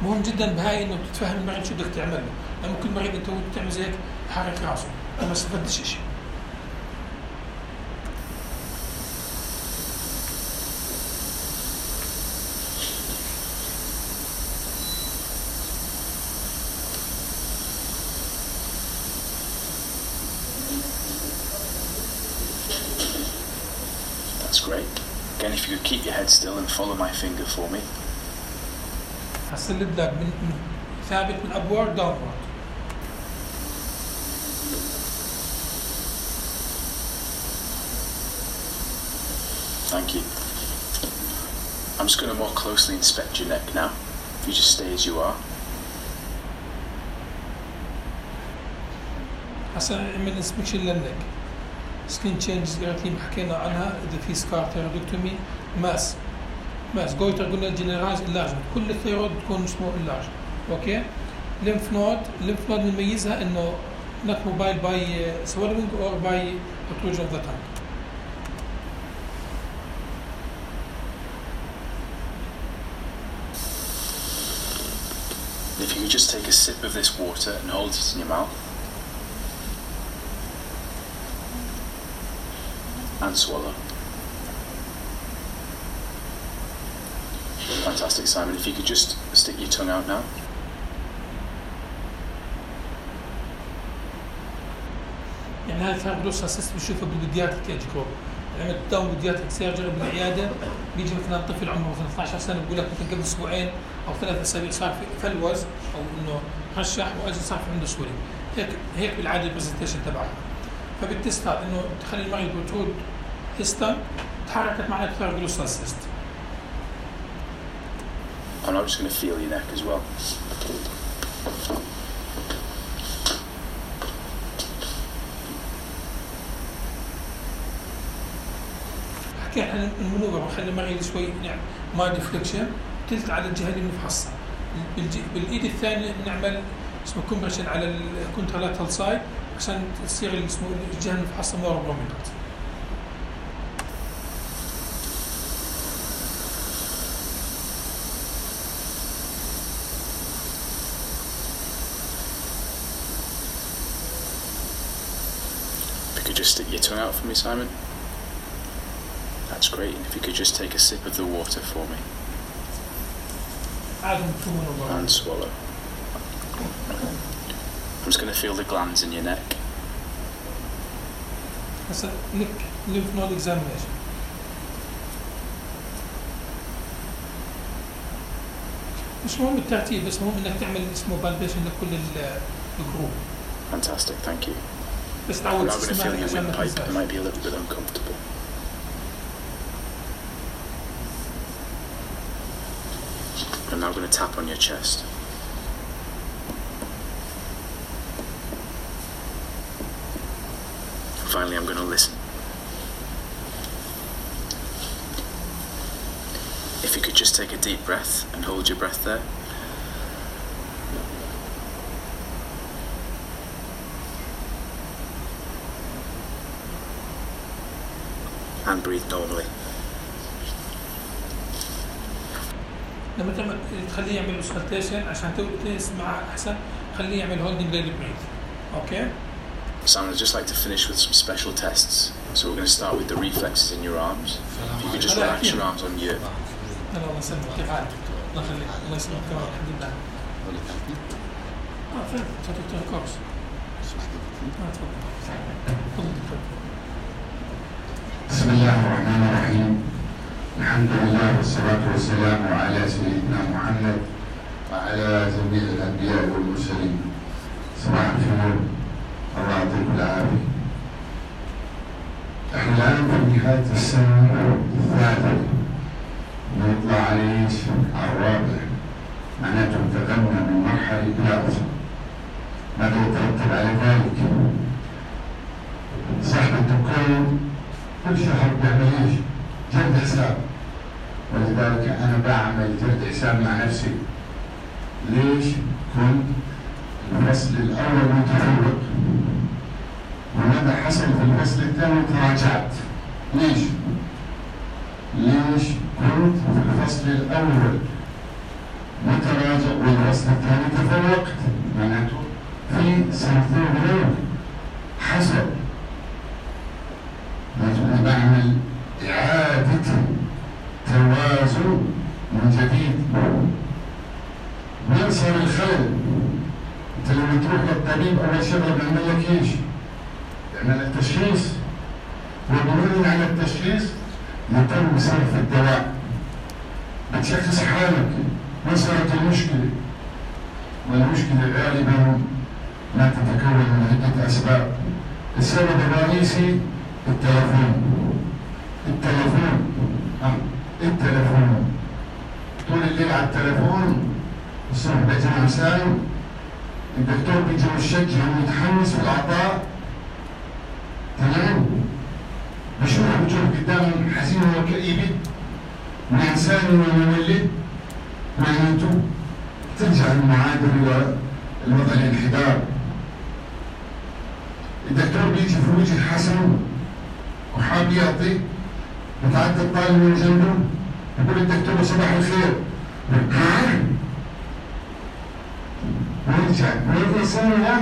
مهم جدا بهاي انه تتفهم المريض شو بدك تعمل له، يعني ممكن المريض انت تعمل زي هيك حرك راسه وما استفدتش شيء. Great. Again, if you could keep your head still and follow my finger for me. هسلب لك من ثابت من upward downward. Thank you. I'm just going to more closely inspect your neck now. You just stay as you are. هسا نعمل inspection للنك. سكين تشينجز اللي حكينا عنها اذا في سكار ثيرودكتومي ماس ماس جويتر قلنا جنرالايز اللارجمنت كل الثيرود تكون اسمه اللارج اوكي. ليمف نود ليمف نود بنميزها انه not mobile by swallowing or by protrusion of the tongue. If you could just take a sip of this water and hold it in your mouth. And swallow. Fantastic, Simon. If you could just stick your tongue out now. يعني هاي الفايبروس اساس بنشوفها بالبيدياتريك ايج جروب. عملت داون بيدياتريك سيرجري بالعياده بيجي مثلا طفل عمره مثلا اثنعش سنه بقول لك مثلا قبل اسبوعين او ثلاث اسابيع صار في فلوز او انه رشح واجى صار في عنده سوري. هيك هيك بالعاده البرزنتيشن تبعها. فبالتست هذا انه تخلي المريض بترود هيستم تحركت مع أكثر جلوسال سيستم. And I'm just going to feel your neck as well. حكي عن المنوبة بخلي معي شوي نعمل ما ديفليكشن تلت على الجهة اللي بنفحصها. بالإيد الثانية بنعمل اسمه كومبريشن على الكونترالاترال سايد عشان تصير اسمه الجهة اللي بنفحصها مور برومينانت. If you could just stick your tongue out for me, Simon. That's great. And if you could just take a sip of the water for me. And swallow. I'm just going to feel the glands in your neck. That's a lymph node examination. مش مهم الترتيب بس مهم انك تعمل اسمه بالبيشن لكل الجروب. Fantastic, thank you. بس I'm تعود now going to feel your عشان ما windpipe. It تنساش. might be a little bit uncomfortable. I'm now going to tap on your chest. And finally, I'm going to listen. If you could just take a deep breath and hold your breath there. And breathe normally. لما تعمل تخليه يعمل auscultation عشان تسمع أحسن خليه يعمل holding daily breath. Okay? Simon, I'd just like to finish with some special tests. So we're going to start with the reflexes in your arms. If you could just relax your arms on your... الله يسلمك كيف حالك؟ الله يخليك الله يسلمك تمام الحمد لله. اه فهمت صوت دكتور كورس. اه تفضل. تفضل دكتور. بسم الله الرحمن الرحيم. الحمد لله والصلاة والسلام على سيدنا محمد وعلى جميع الأنبياء والمرسلين. صباح الخير. الله يعطيكم العافية. احنا الآن في نهاية السنة الثالثة. نطلع على ايش؟ على الرابع. معناته انتقلنا من مرحلة إلى أخرى. ماذا يترتب على ذلك؟ صاحب الدكان كل شهر بيعمل ايش؟ جلد حساب. ولذلك أنا بعمل جلد حساب مع نفسي. ليش؟ كنت الفصل الأول متفوق. وماذا حصل في الفصل الثاني؟ تراجعت. ليش؟ ليش كنت في الفصل الأول متراجع والفصل الثاني تفوقت؟ معناته في سنتين غير حصل. لازم بعمل إعادة توازن من جديد. وين صار الخلل؟ أنت لما تروح للطبيب أول شغلة بيعمل لك إيش؟ بيعمل لك تشخيص. وبناء على التشخيص يتم صرف الدواء. بتشخص حالك ما صارت المشكلة. والمشكلة غالبا ما تتكون من عدة أسباب. السبب الرئيسي التلفون. التلفون آه. التلفون طول الليل على التلفون. الصبح بيجي مساء الدكتور بيجي مشجع ومتحمس في العطاء. تمام؟ بشوف وجوه قدام حزينة وكئيبة وإنسان ومولد. معناته ترجع المعادلة إلى الوضع الانحدار. الدكتور بيجي في وجه حسن وحاب يعطي. بتعدي الطالب من جنبه يقول الدكتور صباح الخير. ويرجع والإنسان لا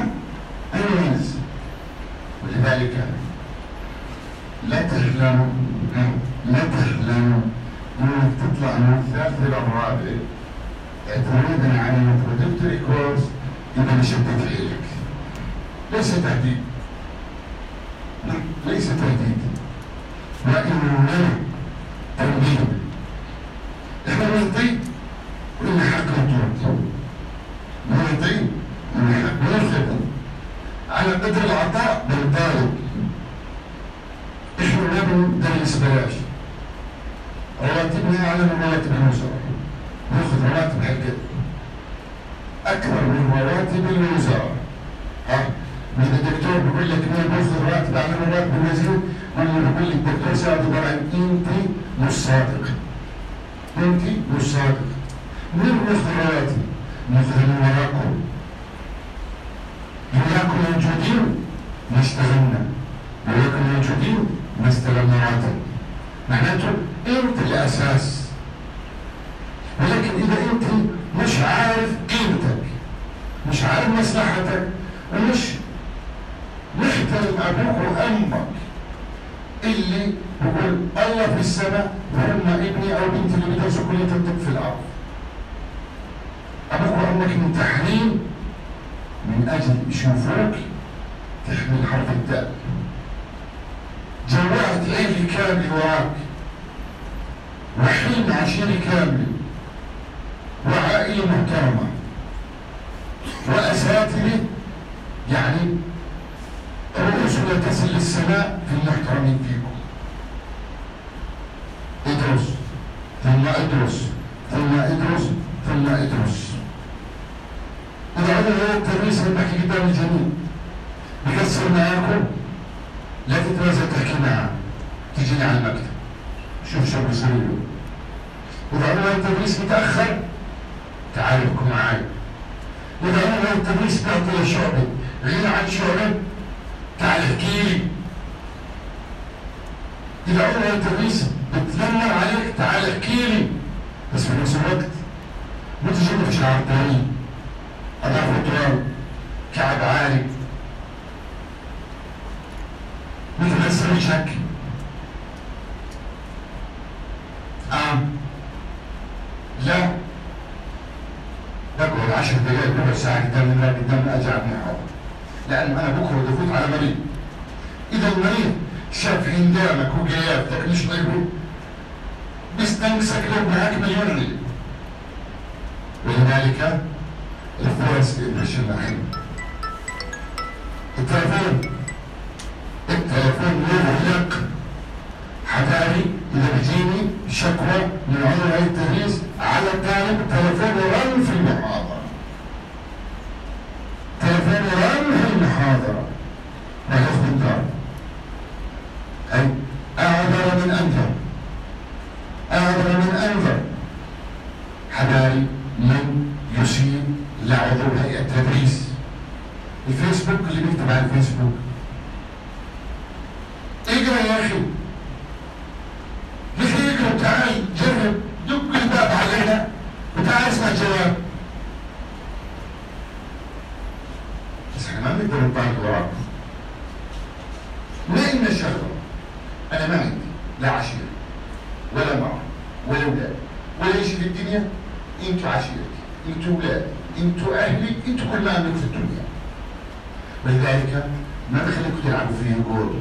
أنجز. ولذلك لا تحلموا لا تحلموا انك تطلع من الثالث الى الرابع اعتمادا على الانترودكتوري كورس اذا مشدت حيلك. ليس تهديد. ليس تهديد. وانما تنبيه. احنا نعطي ولنا حق نطلب. نعطي ولنا حق ناخذ. على قدر العطاء بنطالب. احنا ما بندلع المدرس بلاش، رواتبنا أعلى من رواتب الوزراء، ناخذ رواتب حقت أكثر من رواتب الوزراء. ها؟ إذا الدكتور بيقول لك مين بياخذ راتب أعلى من راتب الوزير، ولا بيقول لك الدكتور سعد إبراهيم أنت مش صادق، أنت مش صادق. مين بياخذ رواتب؟ ناخذ من وراكم، وراكم موجودين ما اشتغلنا، وراكم موجودين ما استلمنا راتب. معناته أنت الأساس. ولكن إذا أنت مش عارف قيمتك، مش عارف مصلحتك، ومش محترم أبوك وأمك اللي بقول الله في السماء وهم ابني أو بنتي اللي بيدرسوا كلية الطب في الأرض، أبوك وأمك ممتحنين من أجل يشوفوك تحمل حرف الدال، جوعت عيلة كاملة وراك، وحلم عشيرة كاملة، وعائلة محترمة، وأساتذة يعني رؤوسنا تصل للسماء في المحترمين فيكم. ادرس ثم ادرس ثم ادرس ثم ادرس. إذا عمل هذا التدريس اللي بحكي قدام الجميع بكسر معاكم، لا تتنازل تحكي معاه، تجيني على المكتب شوف شو بصير له. إذا عمل هذا التدريس متأخر تعال ابكوا معي. إذا عمل هذا التدريس بيعطي لشعبة غير عن شعبة تعال احكي لي. إذا عمل هذا التدريس بتذمر عليك تعال احكي لي، بس في نفس الوقت ما تجيب لي شعار تاني، أضعف التراب، كعب عالي، مثل هسه وجهك. آه لا بقعد عشر دقائق ربع ساعة قدام المراية قدامنا أجي على المحاضرة، لأنه أنا بكره بدي أفوت على مريض. إذا المريض شاف هندامك وقيادتك مش طيبه بيستنقصك لو معك مليون علم. ولذلك الفيرست امبريشن مهم. التلفون التلفون يغلق. حبايبي إذا بيجيني شكوى من عمر هاي التدريس على الطالب تلفون رن في المحاضرة، تلفون رن في المحاضرة ما ياخذ الدار. أي أعذر من أنذر، أعذر من أنذر. حبايبي من يسيء لعضو هيئة التدريس. الفيسبوك اللي بيكتب على الفيسبوك اقرا يا أخي، ليش اقرا؟ تعال جرب، دق الباب علينا وتعال اسمع الجواب. بس احنا ما بنقدر نطالب وراك. ما إلنا شغله. أنا ما عندي لا عشيرة ولا مرة ولا أولاد ولا شيء في الدنيا. أنتوا عشيرتي، أنتوا أولادي، أنتوا أهلي، أنتوا كل ما أملك في الدنيا. ولذلك ما بخليكم تلعبوا فيه جول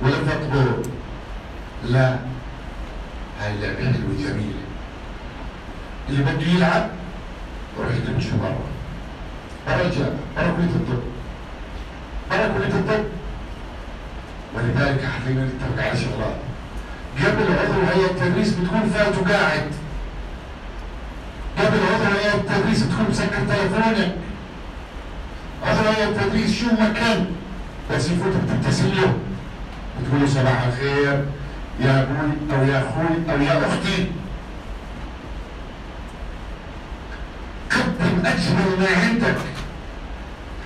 ولا تطبول. لا، هاي اللعبة حلوة جميلة. اللي بده يلعب يروح يدرس برا، برا الجامعة، برا كلية الطب، برا كلية الطب. ولذلك حتلاقينا نتفق على شغلات. قبل عضو هيئة التدريس بتكون فات وقاعد. قبل عضو هيئة التدريس بتكون مسكر تليفونك. عضو هيئة التدريس شو ما كان بس يفوت بتبتسم له بتقول له صباح الخير يا ابوي او يا اخوي او يا اختي. قدم اجمل ما عندك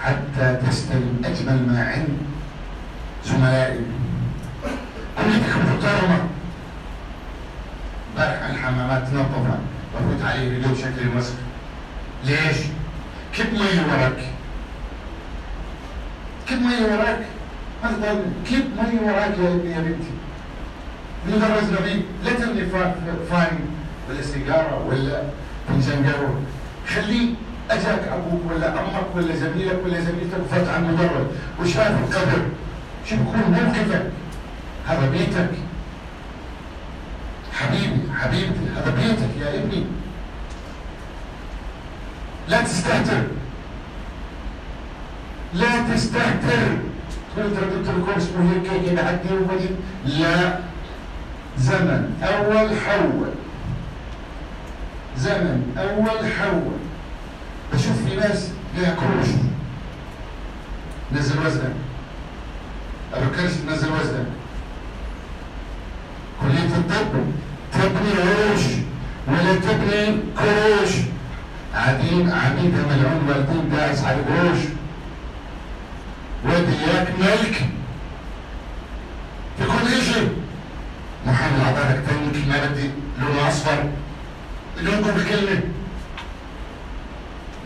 حتى تستلم اجمل ما عند زملائك. كليتك محترمه. امبارح الحمامات تنظفها بفوت عليه بدون شكل المسك. ليش؟ كب مي وراك، كب مي وراك، ما تضل كب مي وراك يا ابني يا بنتي. مدرس نبيل لا ترمي فاين ولا سيجاره ولا فنجان قهوه، خليه اجاك ابوك ولا امك ولا زميلك ولا زميلتك وفات على المدرج وشاف القدر، شو بكون موقفك؟ هذا بيتك حبيبي حبيبتي، هذا بيتك يا ابني. لا تستهتر، لا تستهتر. تقول ترى دكتور الكورس اسمه هيك هيك بعدي وبدي. لا، زمن أول حول، زمن أول حول. بشوف في ناس ليها كروش، نزل وزنك، أبكرش نزل وزنك. كلية الطب تبني عروش ولا تبني كروش. قاعدين عميدها ملعون والدين داعس على القروش. ودي اياك ملك في كل شيء. محامي عطارك تاني كلمة بدي لونه أصفر، لونكم بكلمة.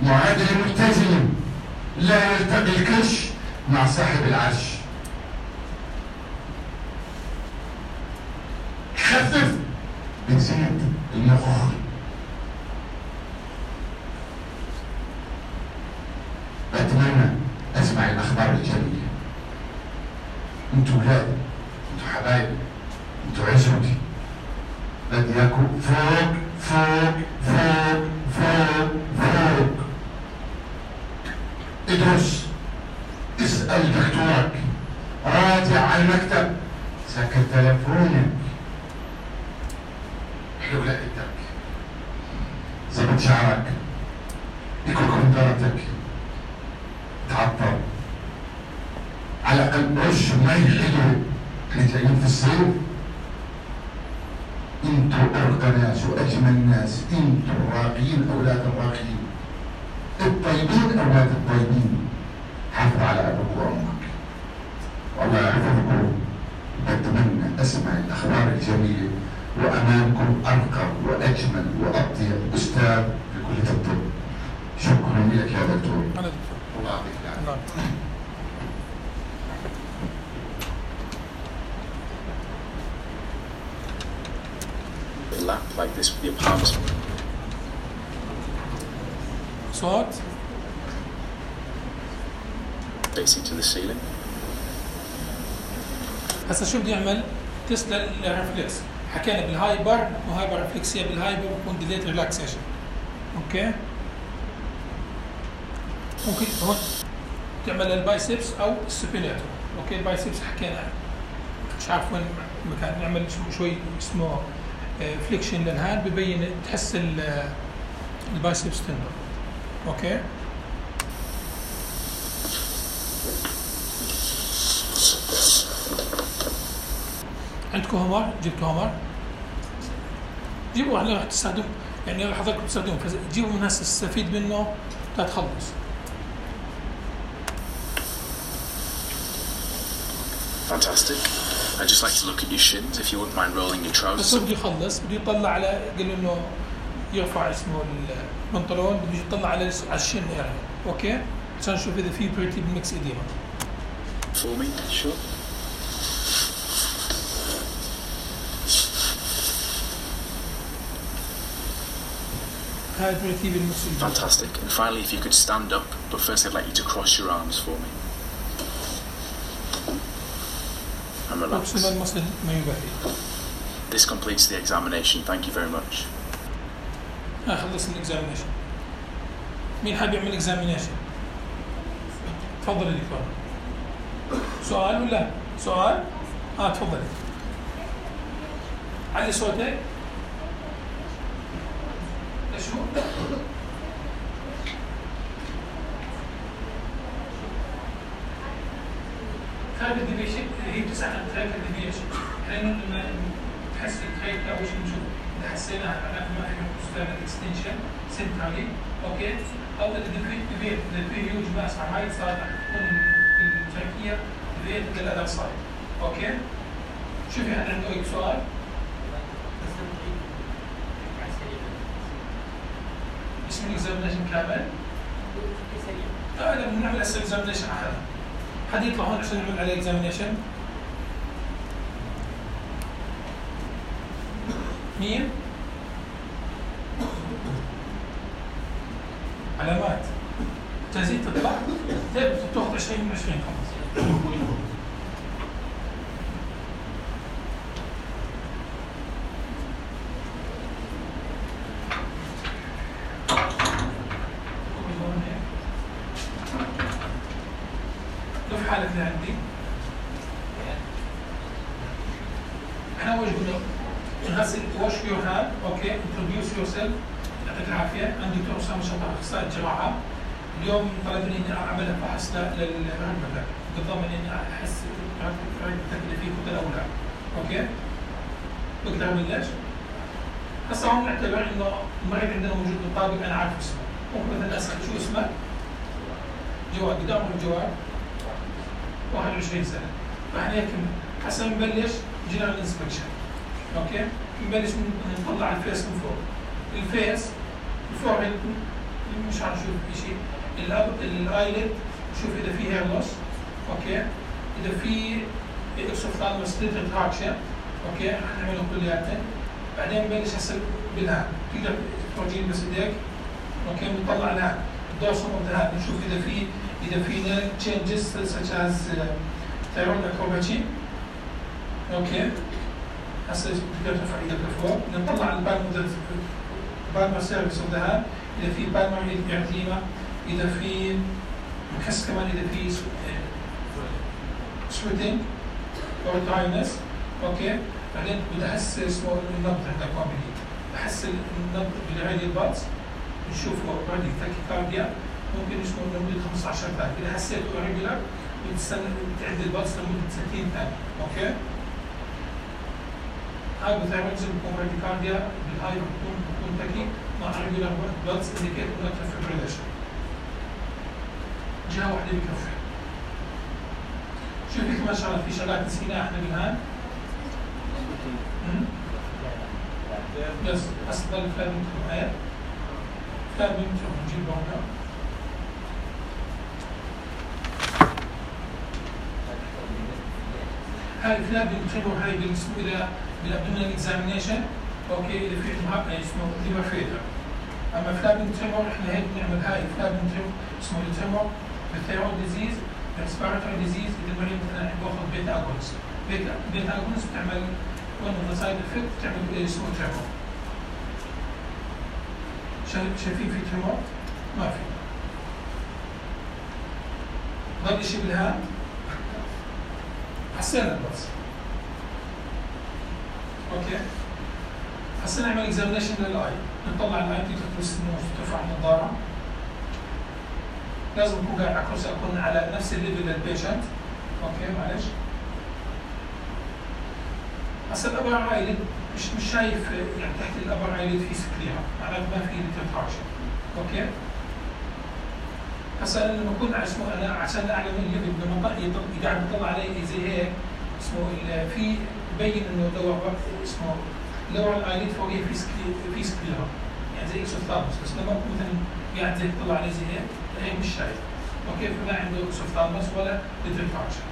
معادلة ملتزمة، لا يلتقي الكرش مع صاحب العرش. خفف بتزيد المخ. بتمنى اسمع الاخبار الجميله. انتوا ولادي، انتوا حبايبي، انتوا عزوتي. بدي اياكم فوق فوق فوق فوق فوق. ادرس، اسال دكتورك، راجع على المكتب، سكر تلفونك، حلو لقيتك، زبط شعرك، اكل كمبيوترك، تعطر، على الاقل رش مي حلوه. احنا جايين في الصيف. انتوا ارقى ناس واجمل ناس، انتوا الراقيين اولاد الراقيين، الطيبين اولاد الطيبين. حافظ على ابوك وامك والله يحفظكم. بتمنى اسمع الاخبار الجميله وامامكم ارقى واجمل واطيب استاذ في كليه الطب. شكرا لك يا دكتور. أنا الله يعطيك العافيه. lap like this with your palms صوت facing to the ceiling. هسا شو بدي اعمل؟ تيست للريفلكس. حكينا بالهايبر وهايبر ريفلكسية. بالهايبر بكون ديليت ريلاكسيشن. اوكي؟ ممكن هون تعمل البايسبس او السوبيناتور. اوكي البايسبس حكينا مش عارف وين مكان. نعمل شوي اسمه فليكشن للهاند ببين تحس البايسبس تندر. اوكي؟ عندكم هومر؟ جبتوا هومر؟ جيبوا. هلا رح تستخدم يعني حضرتكم تستخدموا، فجيبوا من هسه تستفيد منه تتخلص. Fantastic. I'd just like to look at your shins if you wouldn't mind rolling your بس trousers. هو بده يخلص، بده يطلع على قال انه يرفع اسمه البنطلون، بده يطلع على على الشن اريا. اوكي؟ عشان نشوف اذا في بريتي ميكس اديما. For me, sure. هاي بريتي بالميكس اديما. Fantastic. And finally, if you could stand up, but first I'd like you to cross your arms for me. And relax. اقسم المصل ما يبهي. This completes the examination. Thank you very much. ها خلصنا الاكزامينيشن. مين حاب يعمل اكزامينيشن؟ تفضل يا دكتور. سؤال ولا سؤال؟ اه تفضلي. علي صوتك. شو؟ خارج الديفيشن هي بتساعد خارج الديفيشن. احنا لما تحسن خارج اول شيء نشوف اذا حسينا معناته ما احنا نستخدم اكستنشن سنترالي. اوكي؟ او اذا الديفيت اذا في هيوج ماس على هاي صار تكون التركيه ديفيت للأذر سايد. اوكي؟ شوفي هل عنده اي سؤال؟ اسم الاكزامينشن كامل؟ اه اذا بنعمل هسه اكزامينشن على هذا. حد يطلع هون عشان نعمل عليه اكزامينشن؟ مين؟ علامات. جاهزين تطلع؟ طيب تاخذ عشرين من عشرين خلص. شوف حالة اللي عندي. احنا اول قلنا غسل wash your hand. اوكي introduce yourself. يعطيك العافيه. عندي دكتور اسامه شطار اخصائي جراحه. اليوم طلبني اني اعمل فحص لركبتك بالضمن اني احس ركبتك اللي فيه كتل او لا. اوكي بقدر ابلش؟ هسه هون نعتبر انه المريض عندنا موجود مطابق انا عارف اسمه. ممكن مثلا اسال شو اسمك؟ جواد. قد عمر الجواد؟ واحد وعشرين سنه. فاحنا هيك هسه بنبلش جنرال انسبكشن. اوكي؟ بنبلش نطلع الفيس من فوق. الفيس الفوق مش حنشوف شيء. الايلid نشوف اذا في هير لوس. اوكي؟ اذا في اكسوفثالموس ريتراكشن. اوكي؟ حنعملهم كلياتهم. بعدين بنبلش هسه بالهان. تقدر تورجيني بس ايديك. اوكي؟ بنطلع الهان. الدورسوم اوف ذا هاند نشوف اذا في اذا في نيرف تشينجز such as thyroid acropathy. اوكي؟ هسه تقدر ترفع ايدك لفوق. نطلع البالمر بالمر سيرفيس اوف ذا هاند. اذا في بالمر ارثيما، اذا في بحس كمان اذا في سويتنج او دراينس. اوكي؟ بعدين بدي احس اسمه النبض عندك وين بدي. بحس النبض بالراديال بالز نشوفه اوريدي تاكيكارديا. ممكن اسمه لمده خمسة عشر ثانيه. اذا حسيته ريجولار بتستنى تعد البلس لمده ستين ثانيه. اوكي؟ هايبوثايرويدزم بيكون راديكارديا. بالهاي بتكون بتكون تاكي مع ريجولار بلس انديكيت نوتر فيبريليشن. جهه واحده بكفي. شو في كمان شغلات؟ في شغلات نسيناها احنا بالهان. بس اصل الفلان بنكتب هاي فلان بنكتب نجيب لونها. هاي الفلان بنكتبه هاي بالاسمه الى بالابدومينال اكزامينيشن. اوكي اذا في اسمه ليفر فيلر. اما فلان بنكتبه احنا هيك بنعمل هاي فلان بنكتبه اسمه التيمور بالثيرويد ديزيز ريسبيراتوري ديزيز. اذا المريض مثلا باخذ بيتا اجونست. بيتا بيتا اجونست بتعمل one of the side effects تعمل اسمه تيمور. شايفين في تيمور؟ ما في. ضل شيء بالهاند. حسينا بس. اوكي؟ هسه نعمل اكزامينيشن للاي. نطلع الاي تقدر تلبس ترفع النظاره. لازم اكون قاعد على كرسي اكون على نفس الليفل للبيشنت. اوكي معلش. هسه الابر ايلid مش مش شايف يعني تحت الابر ايلid في سكليرا، معناته ما في ريتراكشن. اوكي؟ هسه لما اكون اسمه انا عشان اعلم الليفل لما قاعد بطلع علي زي هيك اسمه في ببين انه لو اسمه لور الايلid فوقيه في في سكليرا يعني زي اكسوفثالموس. بس لما اكون مثلا قاعد زي بطلع عليه زي هيك هيك مش شايف. اوكي؟ فما عنده اكسوفثالموس ولا ريتراكشن.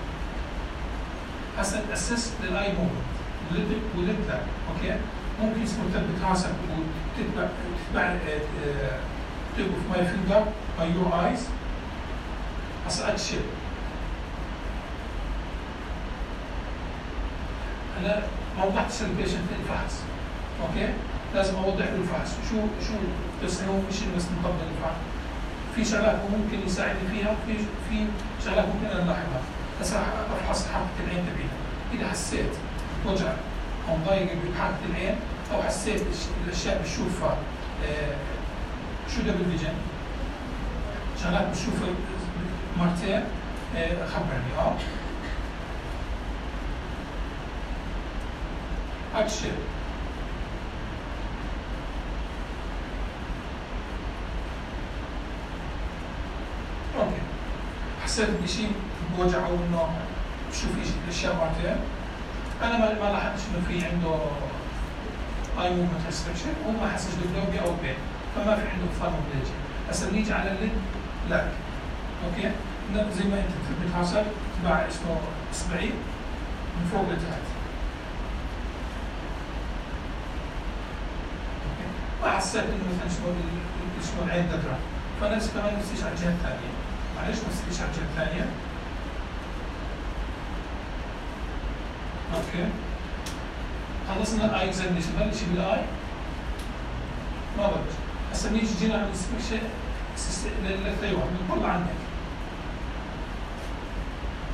هسه اسست للاي موفمنت ولد ولد اوكي؟ ممكن اسمه تثبت راسك وتتبع تتبع توقف ماي فينجر باي يور ايز. هسه اتشيل. انا ما وضحتش للبيشنت الفحص. اوكي؟ لازم اوضح له الفحص. شو شو بس هو مش بس نطبق الفحص. في شغلات هو ممكن يساعدني فيها وفي في شغلات ممكن انا الاحظها. هسه راح افحص حركه العين تبعيها. اذا حسيت وجع او ضايق بحركه العين او حسيت الاشياء بتشوفها آه شو دبل فيجن شغلات بتشوفها مرتين آه خبرني. اه اكشن. اوكي حسيت بشيء بوجع او انه بشوف اشياء مرتين. انا ما ما لاحظتش انه في عنده اي موفمنت ريستريكشن وما حسش بدوبيا او بين فما في عنده فارموبليجيا. هسه بنيجي على الليد لاك. اوكي؟ زي ما انت بتثبت راسك تبع اسمه اصبعي من فوق لتحت. اوكي؟ ما حسيت انه مثلا اسمه اسمه العين تدرى فنفس كمان نفسيش على الجهه الثانيه. معلش نفسيش على الجهه الثانيه. اوكي خلصنا الاي اكزامينشن. بلش بالاي ما بلش. هسه بنيجي جينا على الانسبكشن للثيرويد بنطلع عنك.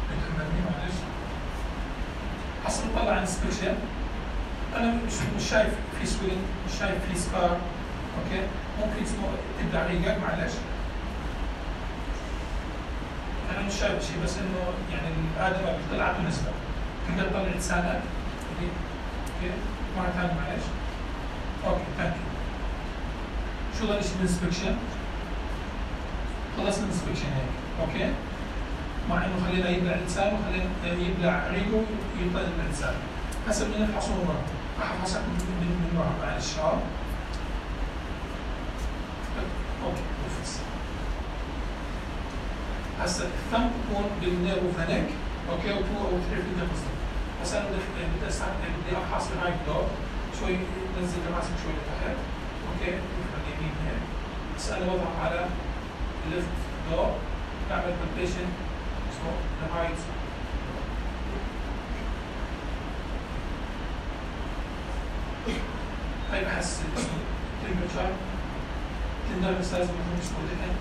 بتحملني معلش. هسه بنطلع على الانسبكشن انا مش مش شايف في سويلنج، مش شايف في سكار، اوكي ممكن اسمه تبدا ريقك معلش. انا مش شايف شيء بس انه يعني الادمه طلعت نسبه تقدر تطلع لسانك اوكي اوكي مره ثانيه معلش. اوكي ثانك يو. شو ضل شيء بالانسبكشن؟ خلصنا الانسبكشن هيك اوكي، مع انه خلينا يبلع لسانه وخلينا يبلع ريقه ويطلع لسانه. هسه بدنا نفحصه من ورا، راح افحصك من من ورا معلش اه اوكي نفس. هسه الثم بكون بالنيرو فانيك اوكي وتو او ثري في القصه. هسه انا بدي بدي اسحب بدي افحص الرايت دور شوي، نزل راسك شوي لتحت اوكي على اليمين هيك. هسه انا بضغط على الليفت دور بعمل بالبيشن اسمه الرايت. هاي بحس التمبرتشر تندر بس لازم يكون اسمه دحين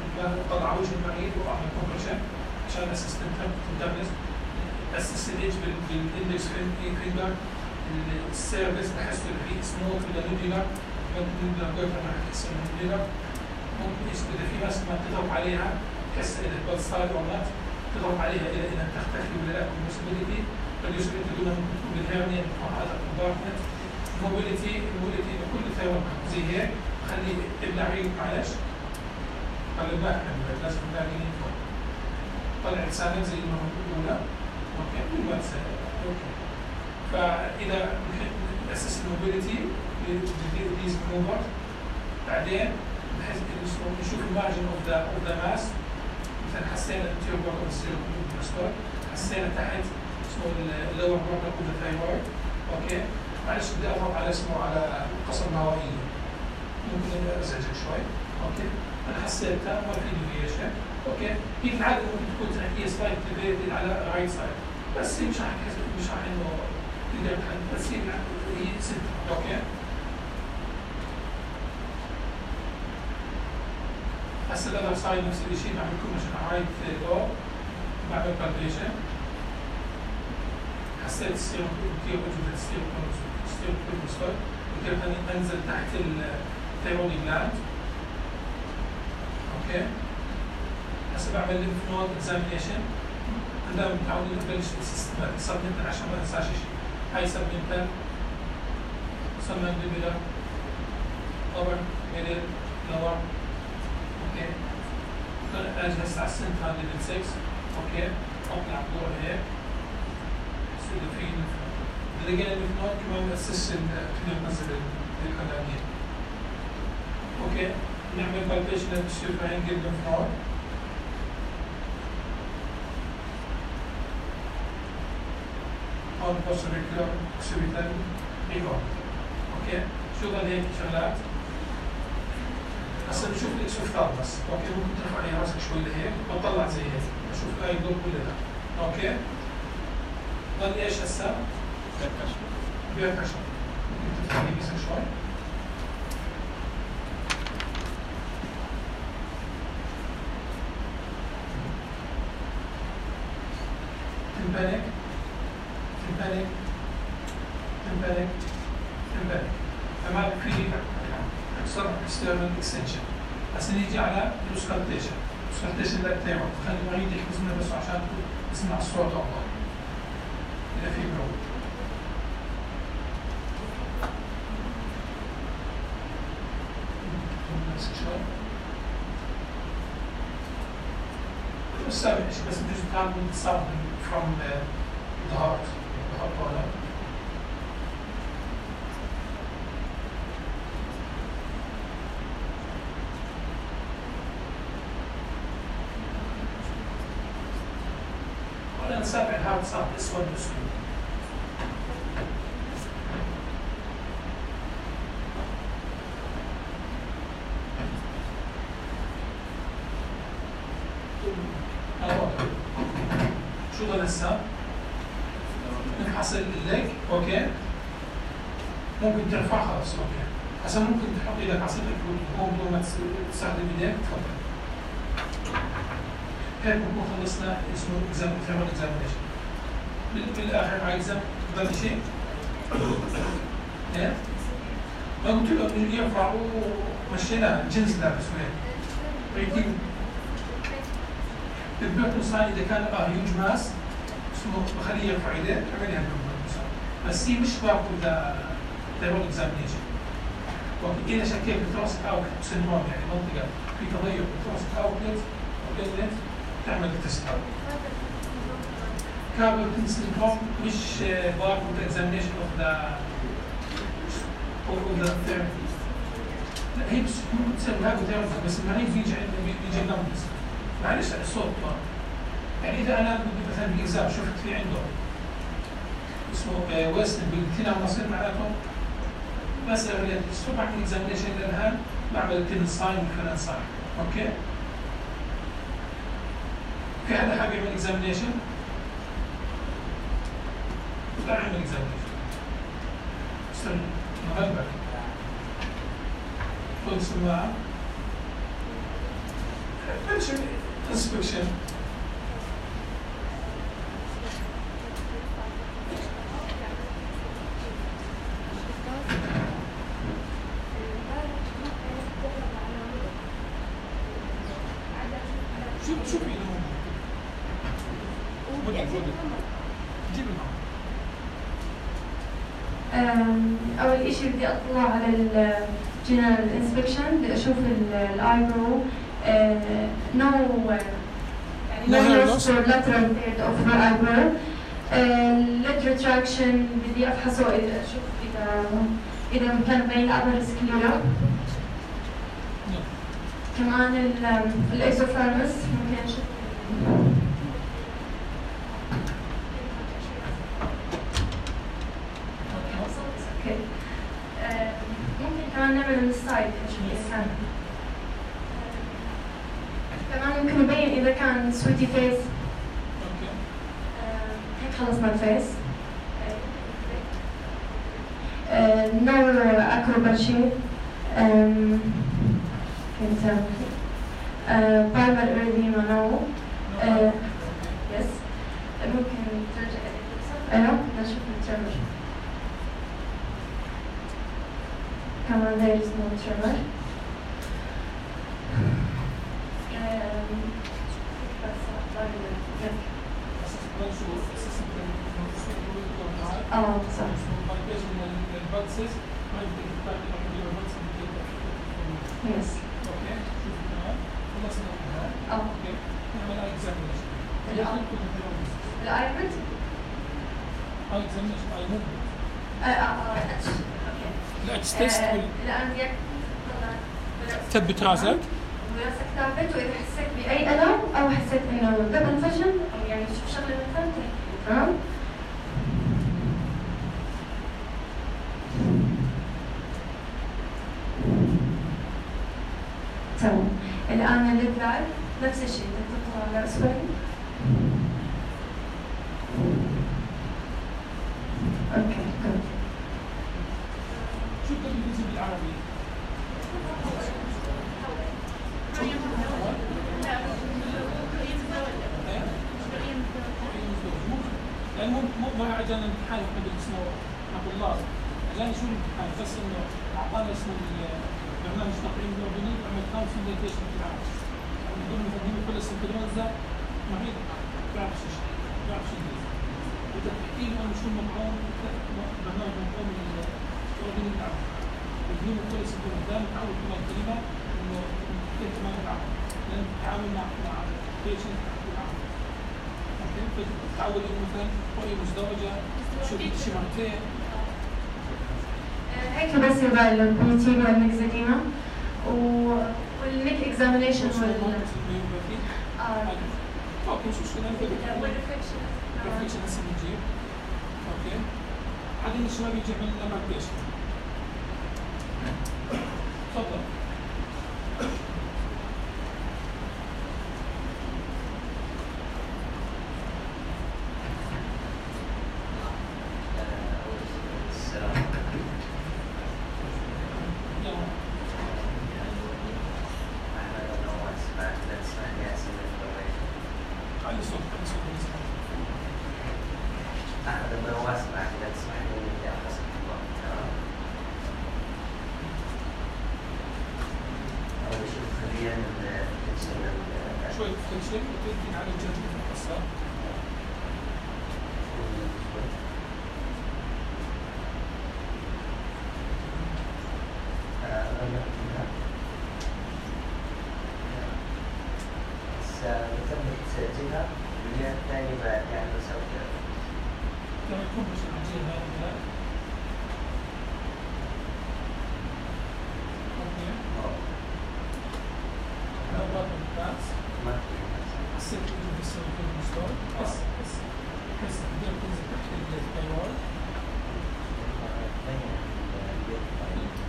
بطلع وجه المريض واعمل كومبريشن عشان اسيستنت تندرس اسس الايدج بالاندكس فينجر. السيرفيس بحس في سموث ولا نوديلر، نوديلر جويفر راح تحس انه نوديلر. ممكن اذا في ناس ما تضغط عليها تحس اذا البلد ستايل او نوت، تضغط عليها الى انها تختفي ولا لا. البوسيبيليتي البوسيبيليتي بدون مكتوب بالهيرنيا هذا كومبارتمنت. الموبيليتي الموبيليتي كل ثيرابي زي هيك خلي ابلع ريق معلش. خلي بالك لازم تلاقيني فوق. طلع لسانك زي المره الاولى اوكي بدون ما تسال اوكي. فاذا ناسس الموبيليتي بذيز موفر بعدين بحيث نشوف المارجن اوف ذا اوف ذا ماس. مثلا حسينا الانتيريور بورد اوف السيركل، حسينا تحت اسمه اللور بورد اوف ذا ثايرويد اوكي. معلش بدي اضغط على اسمه على القصر الهوائيه ممكن ازعجك شوي اوكي. انا حسيتها ما في ديفيشن اوكي. هي في العاده ممكن تكون تحكيها سلايد ديفيتد على رايت سايد بس هي مش راح مش راح انه تقدر تحل بس هي هي ست اوكي. هسه الاذر سايد نفس الشيء بعمل كوميشن على رايت دور بعمل بالبيشن. حسيت السيرو كثير وجود السيرو ستيل كل مستوى وكيف انزل تحت الثيروني جلاند اوكي. هسه بعمل ليمف نود اكزامينيشن. دائما متعودين نبلش بالسيستماتيك سبمنتال عشان ما ننساش شيء. هاي سبمنتال سبمنتال اوبر ميدل لور اوكي. اجي هسه على السنترال ليفل ستة اوكي. اطلع فوق هيك اذا في رجال الليمف نود كمان بأسس كنا بنزل الكلامية اوكي. نعمل بالبيشن للسوبرانجل الليمف نود هون بوصل ريكلر سوبيتال ريكورد اوكي. شو ضل هيك شغلات. هسه بشوف الاكسوفثال بس اوكي. ممكن ترفع عليها راسك شوي لهيك بطلع زي هيك بشوف هاي الضوء كلها اوكي. ضل ايش هسه؟ بيركشن. ممكن تفتحي بيسك شوي. تنبانك تنبانك تنبانك تنبانك. تمام في اكثر اكسترنال اكستنشن. هسه نيجي على الاسكالتيشن. الاسكالتيشن للثيرويد خلي المريض يحفظ منه بس عشان يسمع الصوت افضل. إذا في برود السابع بس بديش تعمل something from the, the heart the heart product. ولا نسابع الهارت صار اسود مسكين. شو ضل هسه؟ نفحص الليج اوكي. ممكن ترفع خلاص اوكي. هسه ممكن تحط ايدك على صدرك وتقوم بدون ما تستخدم ايديك تفضل. هيك بنكون خلصنا اسمه اكزام اكزامينيشن. بالاخر على اكزام ضل شيء ايه؟ ما قلت له ينفع ومشيناه جنس لابس وين؟ هيك البيرتون ساين اذا كان اه هيوج ماس اسمه بخليه يرفع ايديه عملها البيرتون ساين بس هي مش بارت ذا ثيرول اكزامينيشن. اذا شكيت بتروسك اوت سندروم يعني منطقه في تغير بتروسك اوتلت او انلت تعمل تست اوت. كاربون سندروم مش بارت اوف ذا اكزامينيشن اوف ذا اوف ذا ثيرابي. لا هي بس تسمى هاجو ثيرابي بس ما هي بيجي عندنا بيجي نمبرز معلش الصوت طبعا. يعني اذا انا مثلا بالاكزام شفت في عنده اسمه ويست بالكلى ونصير معناته بس الصوت بعمل اكزامينيشن للان بعمل التن ساين والفلان ساين اوكي. في حدا حابب يعمل اكزامينيشن؟ تعال نعمل اكزامينيشن. استنى نغلبك. خذ سماعة. بلش انسبكشن. شوف شوف ايده. جيب الماء. أول إشي بدي أطلع على الجنرال انسبكشن بدي أشوف الآيبرو نو يعني no loss or lateral third of the eyebrow. lid retraction بدي أفحصه إذا أشوف إذا إذا كان بين upper sclera. كمان الإيزوفيرمس ممكن أشوف. كمان نعمل من السايد نشوف إذا كان كمان ممكن يبين إذا كان سويتي فيس. هيك خلصنا الفيس. نور أكروباتشي كنت بايمر إيريديما نو يس ممكن ترجع أيوه نشوف الترمر كمان there is no tremor. اه صح. يس. اوكي. خلصنا منها. اه. اوكي. نعمل اكزامينيشن. الايبرد؟ اه اكزامينيشن اي موفمنت. اه اه اتش. الاتش تيست الان بدك تثبت راسك. راسك ثابت واذا حسيت باي الم او حسيت انه قبل فجر او يعني شوف شغله مثلا تمام؟ تمام. الان الليد لايف نفس الشيء بدك تطلع على اسفل. اوكي جود. شو بدك بالانجليزي بالعربي؟ يعني مو مو ما اجانا امتحان قبل اسمه عبد الله، اجانا شو الامتحان بس انه اعطانا اسمه برنامج تقييم الاردني عمل خمس ميديتيشن في العام. من ضمن تقديم كل السنترونزا مريض بيعرف شيء بيعرف شيء انجليزي. بدك تحكي له انه شو المطعوم برنامج مطعوم الاردني العام. تقديم كل السنترونزا متعود كمان كلمه انه كيف ما نتعامل لان نتعامل مع مع بيشنت بالعام. تعود انه مثلا رؤيه مزدوجه شوف شيء مرتين هيك بس يبقى البيتي والمكزديما والنيك اكزامينيشن وال اه اوكي شو شو نعمل والريفلكشن ريفلكشن هسه بنجيب اوكي حد من الشباب يجي يعمل لنا ماركيشن تفضل شوية فليكشن وتدي على الجنب المقصر. بتم تسجيلها والجهة الثانية بعد يعني بسوي كذا. لما يكون مش الجهة هذه اوكي. لو بعد الباس ما في الست اللي بيسوي في المستوى بس بس بس تقدر تنزل تحت الفايرول.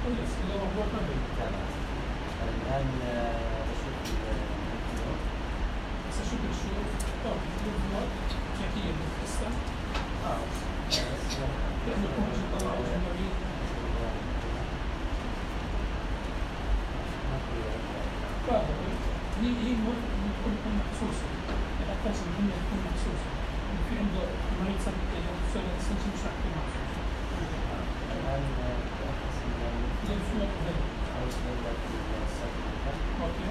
كويس اللي هو هو كامل. الآن بشوف الفيديو. بس اشوف الشوف طب الفيديو كيفية القصة. اه لأنه يكون يطلع أجنبي. فاهم هي هي ممكن تكون محسوسة. يعني أحتاج إن هي تكون محسوسة. في عنده مريض سبب سبب السنشن مش راح تكون محسوسة. الآن زي الفلوت ده. اوكي.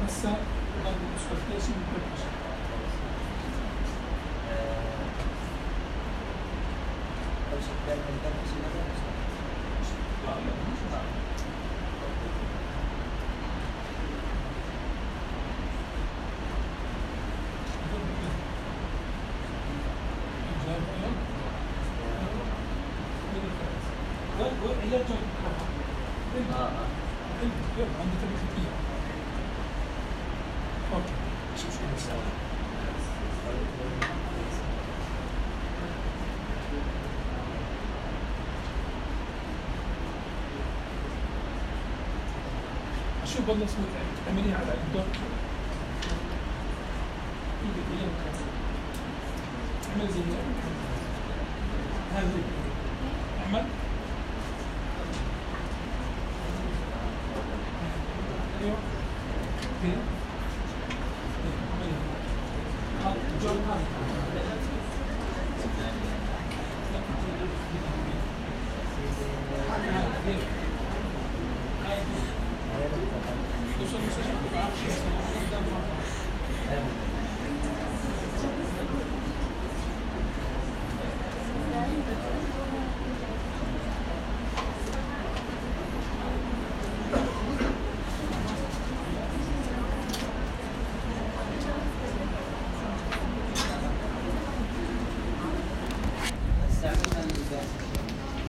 هسه بعد الاسفلتيشن بالبريشر. شو بدنا نسوي تعمليها على الدور ايدك وياك اعمل زي هذا اعمل ايوه كده